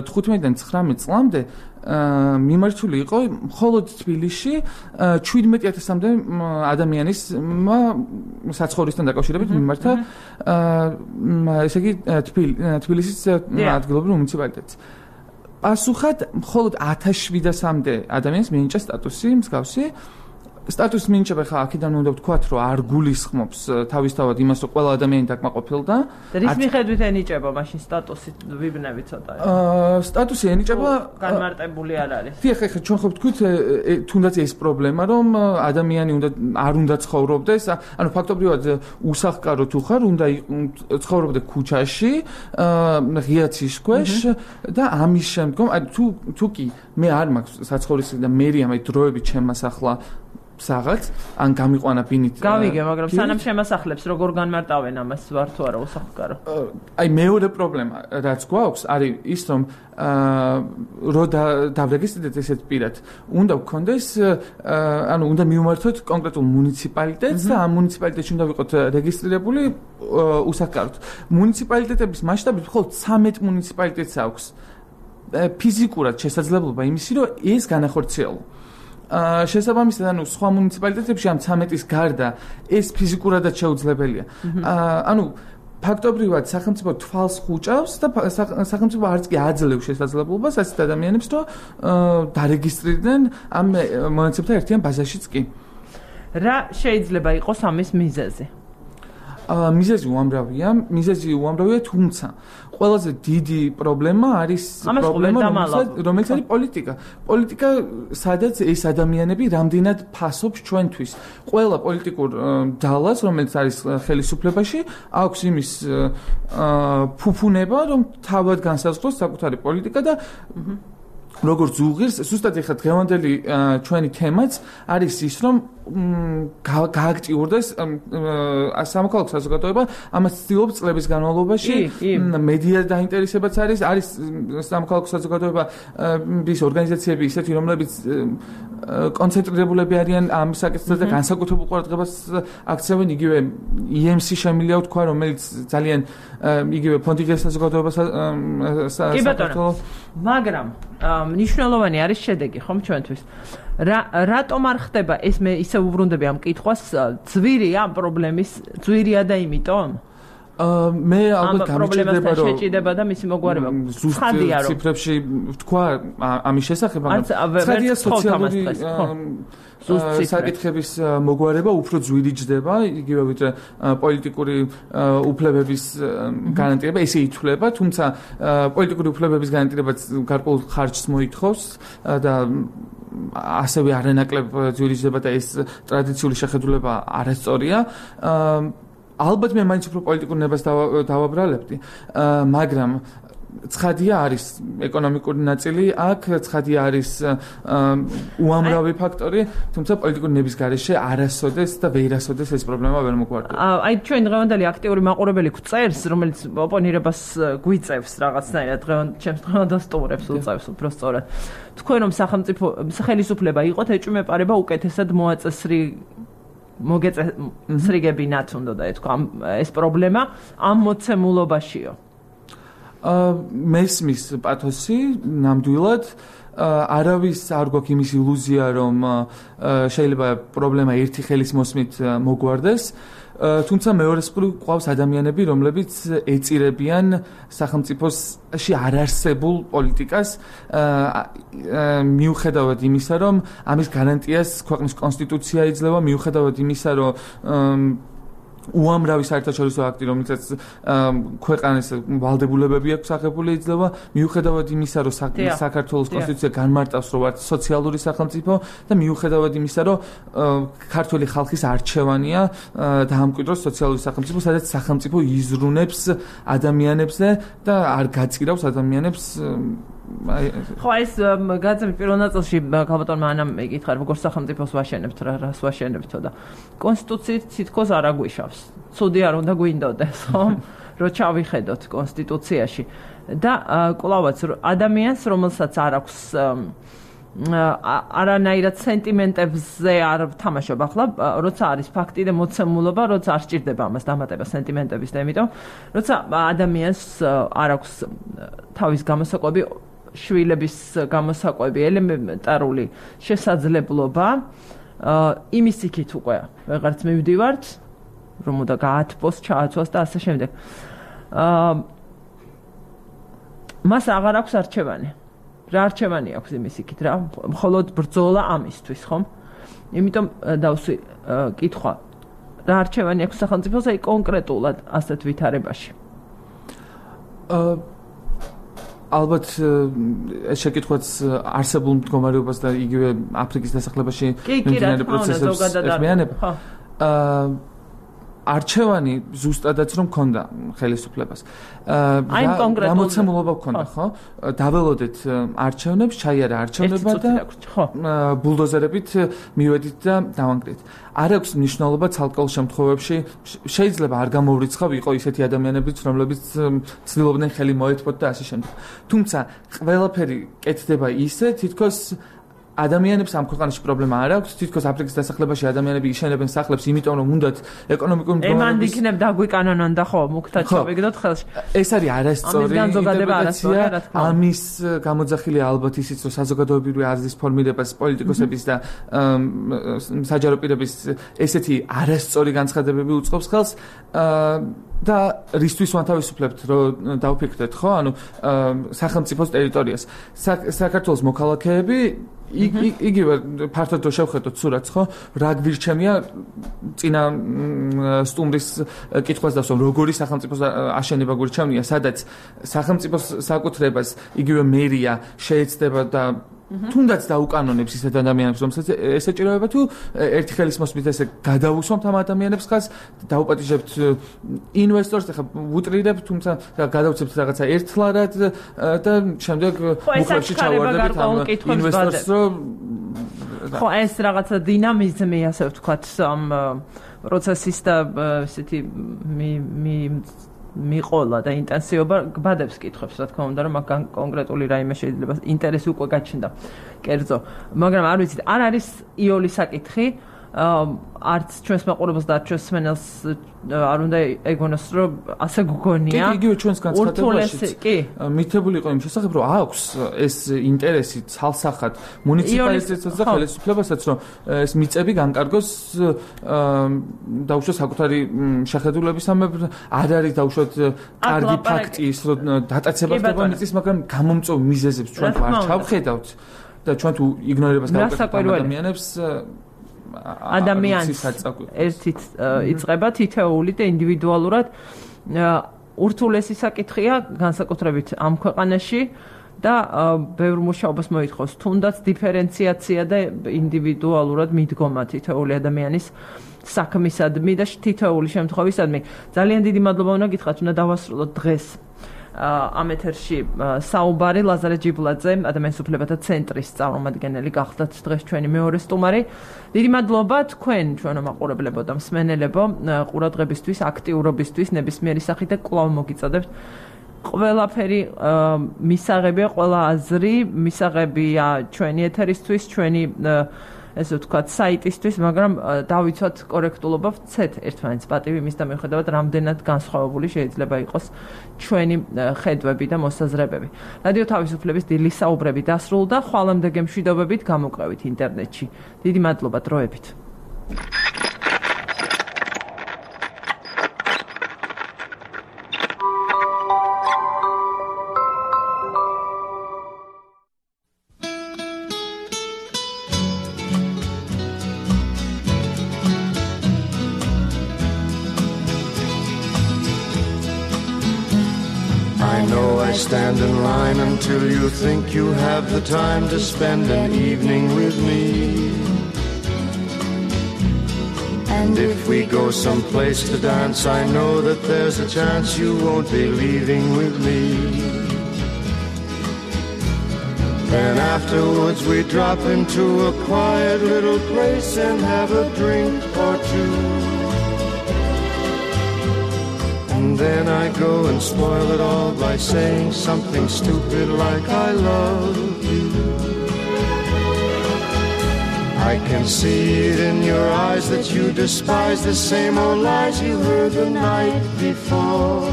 თხუთმეტიდან ცხრამეტ წლამდე მიმართული იყო მხოლოდ თბილისში შვიდმეტი ათასამდე ადამიანის საცხოვრისთან დაკავშირებით მიმართა ესე იგი თბილისის ადგილობრივ მუნიციპალიტეტს. პასუხად მხოლოდ ათას შვიდასამდე ადამიანს მიენიჭა სტატუსი მსგავსი. სტატუსის მინიჭება ხა აქედან უნდა ვთქვათ, რომ არ გულისხმობს თავისთავად იმას, რომ ყველა ადამიანი დაკმაყოფილდა. რის მიხედვით ენიჭება მაშინ სტატუსი ვიბნები ცოტა? აა სტატუსი ენიჭება განმარტებული არ არის. დიახ, ხა ჩვენ ხო ვთქვით, თუნდაც ეს პრობლემა, რომ ადამიანი უნდა არ უნდა ცხოვრობდეს, ანუ ფაქტობრივად უსახკარო თუ ხარ, უნდა ცხოვრობდე ქუჩაში, ღია ცის ქვეშ და ამის შემდგომ, თუ თუ კი მე არ მაქვს საცხოვრისი და მერია მე დროებით შემასახლა საღაც ან გამიყვანა ბინით. გავიგე, მაგრამ სანამ შემასახლებს როგორ განმარტავენ ამას ვარ თუ არა უსახკარო? აი მეორე პრობლემა რაც გვაქვს არის ის, რომ რო დავრეგისტრირდეთ ესეთ პირად, უნდა გქონდეს, ანუ უნდა მივმართოთ კონკრეტულ მუნიციპალიტეტს და ამ მუნიციპალიტეტში უნდა ვიყოთ რეგისტრირებული უსახკაროდ. მუნიციპალიტეტების მასშტაბით მხოლოდ ცამეტ მუნიციპალიტეტს აქვს ფიზიკურად შესაძლებლობა იმისი, რომ ეს განახორციელო. შესაბამისად, ანუ სხვა მუნიციპალიტეტებში ამ ცამეტის გარდა ეს ფიზიკურადაც შეუძლებელია. ანუ ფაქტობრივად სახელმწიფო თვალს ხუჭავს და სახელმწიფო არც კი აძლევს შესაძლებლობას ასეთ ადამიანებს, რომ დარეგისტრირდნენ ამ მონაცემთა ერთიან ბაზაშიც კი. რა შეიძლება იყოს ამის მიზეზი? მიზეზი უამრავია, მიზეზი უამრავია, თუმცა ყველაზე დიდი პრობლემა არის პრობლემა, რომელიც არის პოლიტიკა. პოლიტიკა, სადაც ეს ადამიანები რამდენად ფასობს ჩვენთვის. ყველა პოლიტიკურ ძალას, რომელიც არის ხელისუფლებაში, აქვს იმის ფუფუნება, რომ თავად განსაზღვროს საკუთარი პოლიტიკა და როგორც უღირს, ზუსტად ეხლა დღევანდელი ჩვენი თემაც არის ის, რომ გააქტიურდეს სამოქალაქო საზოგადოება, ამას ცდილობს წლების განმავლობაში, მედია დაინტერესებაც არის, არის სამოქალაქო საზოგადოების ორგანიზაციები ისეთი, რომლებიც კონცენტრირებულები არიან ამ საკითხზე და განსაკუთრებულ ყურადღებას აქცევენ, იგივე ი ემ სი შემილია ვთქვა, რომელიც ძალიან იგივე ფონდიგეს საზოგადოებას კი ბატონო, მაგრამ მნიშვნელოვანი არის შედეგი, ხომ ჩვენთვის. რა რატომ არ ხდება ეს მე ისე უბრუნდები ამ კითხვას, ძვირია ამ პრობლემის, ძვირია და იმიტომ? მე ალბათ გამიჭირდება რომ შეჭიდება და მისი მოგვარება. ცხადია რომ ციფრებში ვთქვა ამის შესახებ, მაგრამ ცხადია სოციალური საკითხების მოგვარება უფრო ძვირი ჯდება, იგივე ვიდრე პოლიტიკური უფლებების გარანტირება, ესე ითვლება, თუმცა პოლიტიკური უფლებების გარანტირებაც გარკვეულ ხარჯს მოითხოვს და ასევე არანაკლებ ძვირი ჯდება და ეს ტრადიციული შეხედულება არასწორია. ალბათ მე მაინც უფრო პოლიტიკურ ნებას დავაბრალებდი, მაგრამ ცხადია არის ეკონომიკური ნაწილი, აქ ცხადია არის უამრავი ფაქტორი, თუმცა პოლიტიკური ნების გარეშე არასოდეს და ვერასოდეს ეს პრობლემა ვერ მოგვარდება. აი ჩვენ დღევანდელი აქტიური მაყურებელი გვწერს, რომელიც ოპონირებას გვიწევს რაღაცნაირად, დღევანდელ ჩემს დღევანდელ სტუმრებს უწევს უფრო სწორად. თქვენ რომ სახელმწიფო ხელისუფლება იყოთ, ეჭვმეპარება უკეთესად მოაწესრი მოგეწესრიგებინათ უნდა და ეთქვა ეს პრობლემა ამ მოცემულობაშიო. მესმის პათოსი ნამდვილად არავის არ გვაქვს იმის ილუზია, რომ შეიძლება პრობლემა ერთი ხელის მოსმით მოგვარდეს. თუმცა მეორეს მხრივ ყავს ადამიანები, რომლებიც ეწირებიან სახელმწიფოში არარსებულ პოლიტიკას, მიუხედავად იმისა, რომ ამის გარანტიას ქვეყნის კონსტიტუცია იძლევა, მიუხედავად იმისა, რომ უამრავი საერთაშორისო აქტი, რომელსაც ქვეყანას ვალდებულებები აქვს აღებული იძლევა, მიუხედავად იმისა, რომ საქართველოს კონსტიტუცია განმარტავს, რომ ვართ სოციალური სახელმწიფო და მიუხედავად იმისა, რომ ქართული ხალხის არჩევანია დაამკვიდროს სოციალური სახელმწიფო, სადაც სახელმწიფო იზრუნებს ადამიანებზე და არ გაწირავს ადამიანებს ხო ეს გაძებნით პირველ ნაწილში ქალბატონმა ანამ ეკითხა როგორ სახელმწიფოს ვაშენებთ რა რას ვაშენებთო და კონსტიტუციით თითქოს არ აგვიშავს ცუდი არ უნდა გვინდოდეს ხო რომ ჩავიხედოთ კონსტიტუციაში და კვლავაც ადამიანს რომელსაც არ აქვს არანაირად სენტიმენტებზე არ ვთამაშობ ახლა როცა არის ფაქტი და მოცემულობა როცა არ სჭირდება ამას დამატება სენტიმენტების და იმიტომ როცა ადამიანს არ აქვს თავის გამოსაკვები შვილების გამოსაკვები ელემენტარული შესაძლებლობა იმის იქით უკვე ვეღარც მივდივართ რომ უნდა გაათბოს ჩააცვას და ასე შემდეგ მას აღარ აქვს არჩევანი რა არჩევანი აქვს იმის იქით რა მხოლოდ ბრძოლა ამისთვის ხომ იმიტომ დავსვი კითხვა რა არჩევანი აქვს სახელმწიფოს აი კონკრეტულად ასეთ ვითარებაში ალბათ ეს შეკითხვაც არსებულ მდგომარეობას და იგივე აფრიკის დასახლებაში მიმდინარე პროცესებს ეხმიანება არჩევანი ზუსტადაც რომ მქონდა ხელისუფლებას. აი კონკრეტულად გამოცემულობა მქონდა, ხო? დაველოდეთ არჩევნებს, ჩაიარა არჩევნება და ბულდოზერებით მივედით და დავანგრით. არ აქვს მნიშვნელობა ცალკეულ შემთხვევებში, შეიძლება არ გამოვრიცხავ იყო ისეთი ადამიანებიც, რომლებიც ცდილობდნენ ხელი მოეთმოთ და ასე შემდეგ. თუმცა ყველაფერი კეთდება ისე, თითქოს ადამიანებს ამ ქვეყანაში პრობლემა არ აქვს, თითქოს აფრიკის დასახლებაში ადამიანები იშენებენ სახლებს, იმიტომ რომ უნდათ ეკონომიკური მდგომარეობის ემან იქნებ დაგვიკანონონ და ხო, მუქთა ჩავიგდოთ ხელში. ეს არის არასწორი ინტერპრეტაცია, ამის გამოძახილია ალბათ ისიც, რომ საზოგადოებრივი აზრის ფორმირებას პოლიტიკოსების და საჯარო პირების ესეთი არასწორი განცხადებები უწყობს ხელს და რისთვის ვანთავისუფლებთ, რომ დავფიქრდეთ, ხო? ანუ სახელმწიფოს ტერიტორიას. საქართველოს მოქალაქეები იგივე ფართოდ რო შევხედოთ სურათს, ხო? რა გვირჩემია წინა სტუმრის კითხვას დავსვამ, როგორი სახელმწიფოს აშენება გვირჩემია, სადაც სახელმწიფოს საკუთრებას იგივე მერია შეეცდება და თუნდაც დაუკანონებს ისეთ ადამიანებს, რომელსაც ესეჭიროება თუ ერთი ხელის მოსმით ესე გადავუსვამთ ამ ადამიანებს ხას, დაუპატიჟებთ ინვესტორს, ახლა ვუტრირებთ, თუმცა გადავცემთ რაღაცა ერთლარად და შემდეგ მუხლებში ჩავარდებით ამ ინვესტორს, რომ ხო, ეს რაღაცა დინამიზმი, ასე ვთქვათ, ამ პროცესის და ესეთი მი მიყოლა და ინტენსივობა გბადებს კითხვებს, რა თქმა უნდა, რომ მაგან კონკრეტული რაიმე შეიძლება ინტერესი უკვე გაჩნდა. კერძო, მაგრამ არ ვიცით, არ არის იოლის საკითხი, არც ჩვენს მაყურებელს და ჩვენს მსმენელს არ უნდა ეგონოს, რომ ასე გგონია. კი, იგივე ჩვენს განცხადებაშიც მითებული იყო იმ შესახებ, რომ აქვს ეს ინტერესი ცალსახად მუნიციპალიტეტსაც და ხელისუფლებასაც, რომ ეს მიწები განკარგოს დაუშვათ საკუთარი შეხედულებისამებრ, არ არის დაუშვათ კარგი ფაქტი ის, რომ დატაცება ხდება მიწის, მაგრამ გამომწვევ მიზეზებს ჩვენ თუ არ ჩავხედავთ და ჩვენ თუ იგნორირებას გავუკეთებთ ადამიანებს ადამიანს ერთით იწყება თითოეული და ინდივიდუალურად ურთულესი საკითხია განსაკუთრებით ამ ქვეყანაში და ბევრ მუშაობას მოითხოვს თუნდაც დიფერენციაცია და ინდივიდუალურად მიდგომა თითოეული ადამიანის საქმისადმი და თითოეული შემთხვევისადმი. ძალიან დიდი მადლობა უნდა გითხრათ, უნდა დავასრულოთ დღეს ამ ეთერში საუბარი ლაზარე ჯიბლაძე, ადამიანის უფლებათა ცენტრის წარმომადგენელი გახლდათ დღეს ჩვენი მეორე სტუმარი. დიდი მადლობა თქვენ ჩვენო მაყურებლებო და მსმენელებო ყურადღებისთვის, აქტიურობისთვის, ნებისმიერი სახით და კვლავ მოგიწოდებთ. ყველაფერი მისაღებია, ყველა აზრი მისაღებია ჩვენი ეთერისთვის, ჩვენი ესე ვთქვათ, საიტისთვის, მაგრამ დავიცვათ კორექტულობა, ვცეთ ერთმანეთს პატივი იმის და მიუხედავად რამდენად განსხვავებული შეიძლება იყოს ჩვენი ხედვები და მოსაზრებები. რადიო თავისუფლების დილის საუბრები დასრულდა, ხვალამდე გემშვიდობებით გამოკრევით ინტერნეტში. დიდი მადლობა დროებით. Stand in line until you think you have the time to spend an evening with me. And if we go someplace to dance, I know that there's a chance you won't be leaving with me. afterwards we drop into a quiet little place and have a drink or two. And then I go and spoil it all by saying something stupid like I love you. I can see it in your eyes that you despise the same old lies you heard the night before.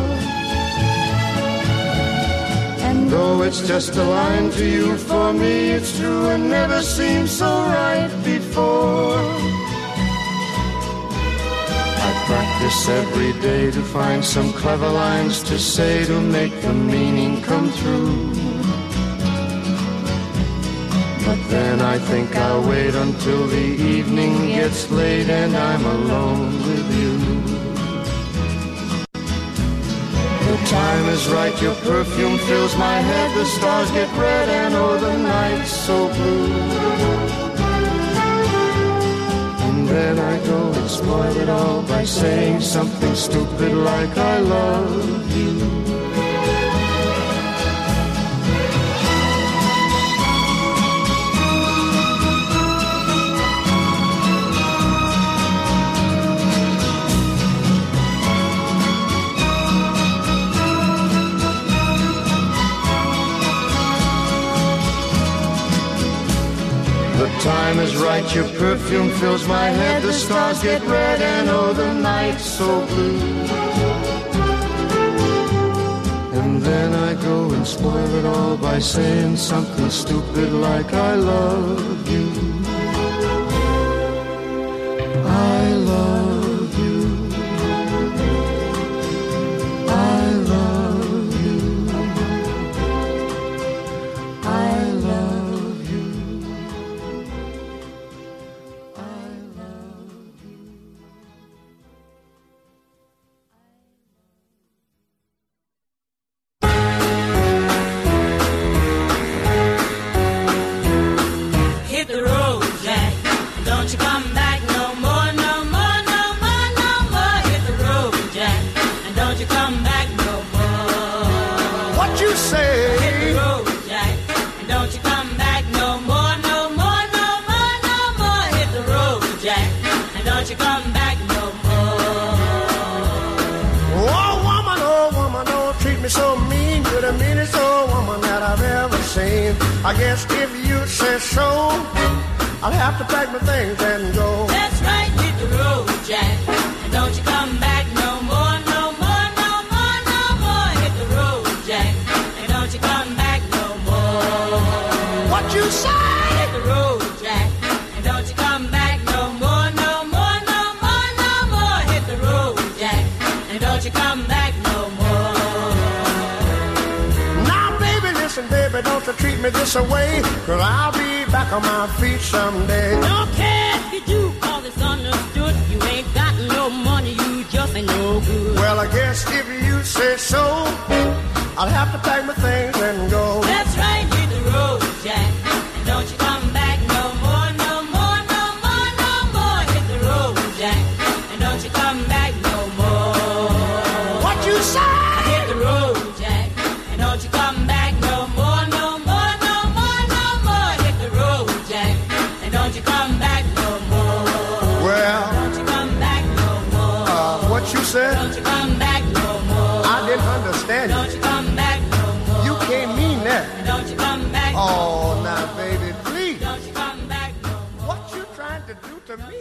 And though it's just a line to you, for me it's true and never seemed so right before. I practice every day to find some clever lines to say to make the meaning come true. But then I think I'll wait until the evening gets late and I'm alone with you. The time is right, your perfume fills my head, the stars get red and oh the night's so blue. And then I go and spoil it all by saying something stupid like I love you. The time is right, your perfume fills my head, the stars get red and oh the night's so blue. And then I go and spoil it all by saying something stupid like I love you. I love you. I love you. I love you. Hit the road, Jack. Don't you come back no more, no more, no more, no more. Hit the road, Jack. And don't you come back no more. What you say? Hit the road, Jack. And don't you come back no more, no more, no more, no more. Hit the road, Jack. And don't you come back no more. Oh woman, oh woman, don't treat me so mean. You're the meanest old woman that I've ever seen. I guess if you say so, I'll have to pack my things and go. That's right, hit the road, Jack. And don't you come back no more, no more, no more, no more. Hit the road, Jack. And don't you come back no more. What you say? Hit the road, Jack. And don't you come back no more, no more, no more, no more. Hit the road, Jack. And don't you come back no more. Now baby, listen baby, don't you treat me this away, 'cause I'll be back on my feet someday. Don't care if you do, 'cause it's understood. You ain't got no money, you just ain't no good. Well, I guess if you say so, I'll have to pack my things and go. That's right, hit the road, Jack. And don't you come back no more, no more, no more, no more. Hit the road, Jack. And don't you come back no more. What you say? Hit the road, Jack. And don't you come back no more, no more, no more, no more. Hit the road, Jack. And don't you come back no more. Well, Don't you come back no more. uh, what you said? Don't you come back no more. I didn't understand Don't you. you come back no more. You can't mean that. Don't you come back no Oh, more. now baby, please. Don't you come back no more. What you trying to do to me?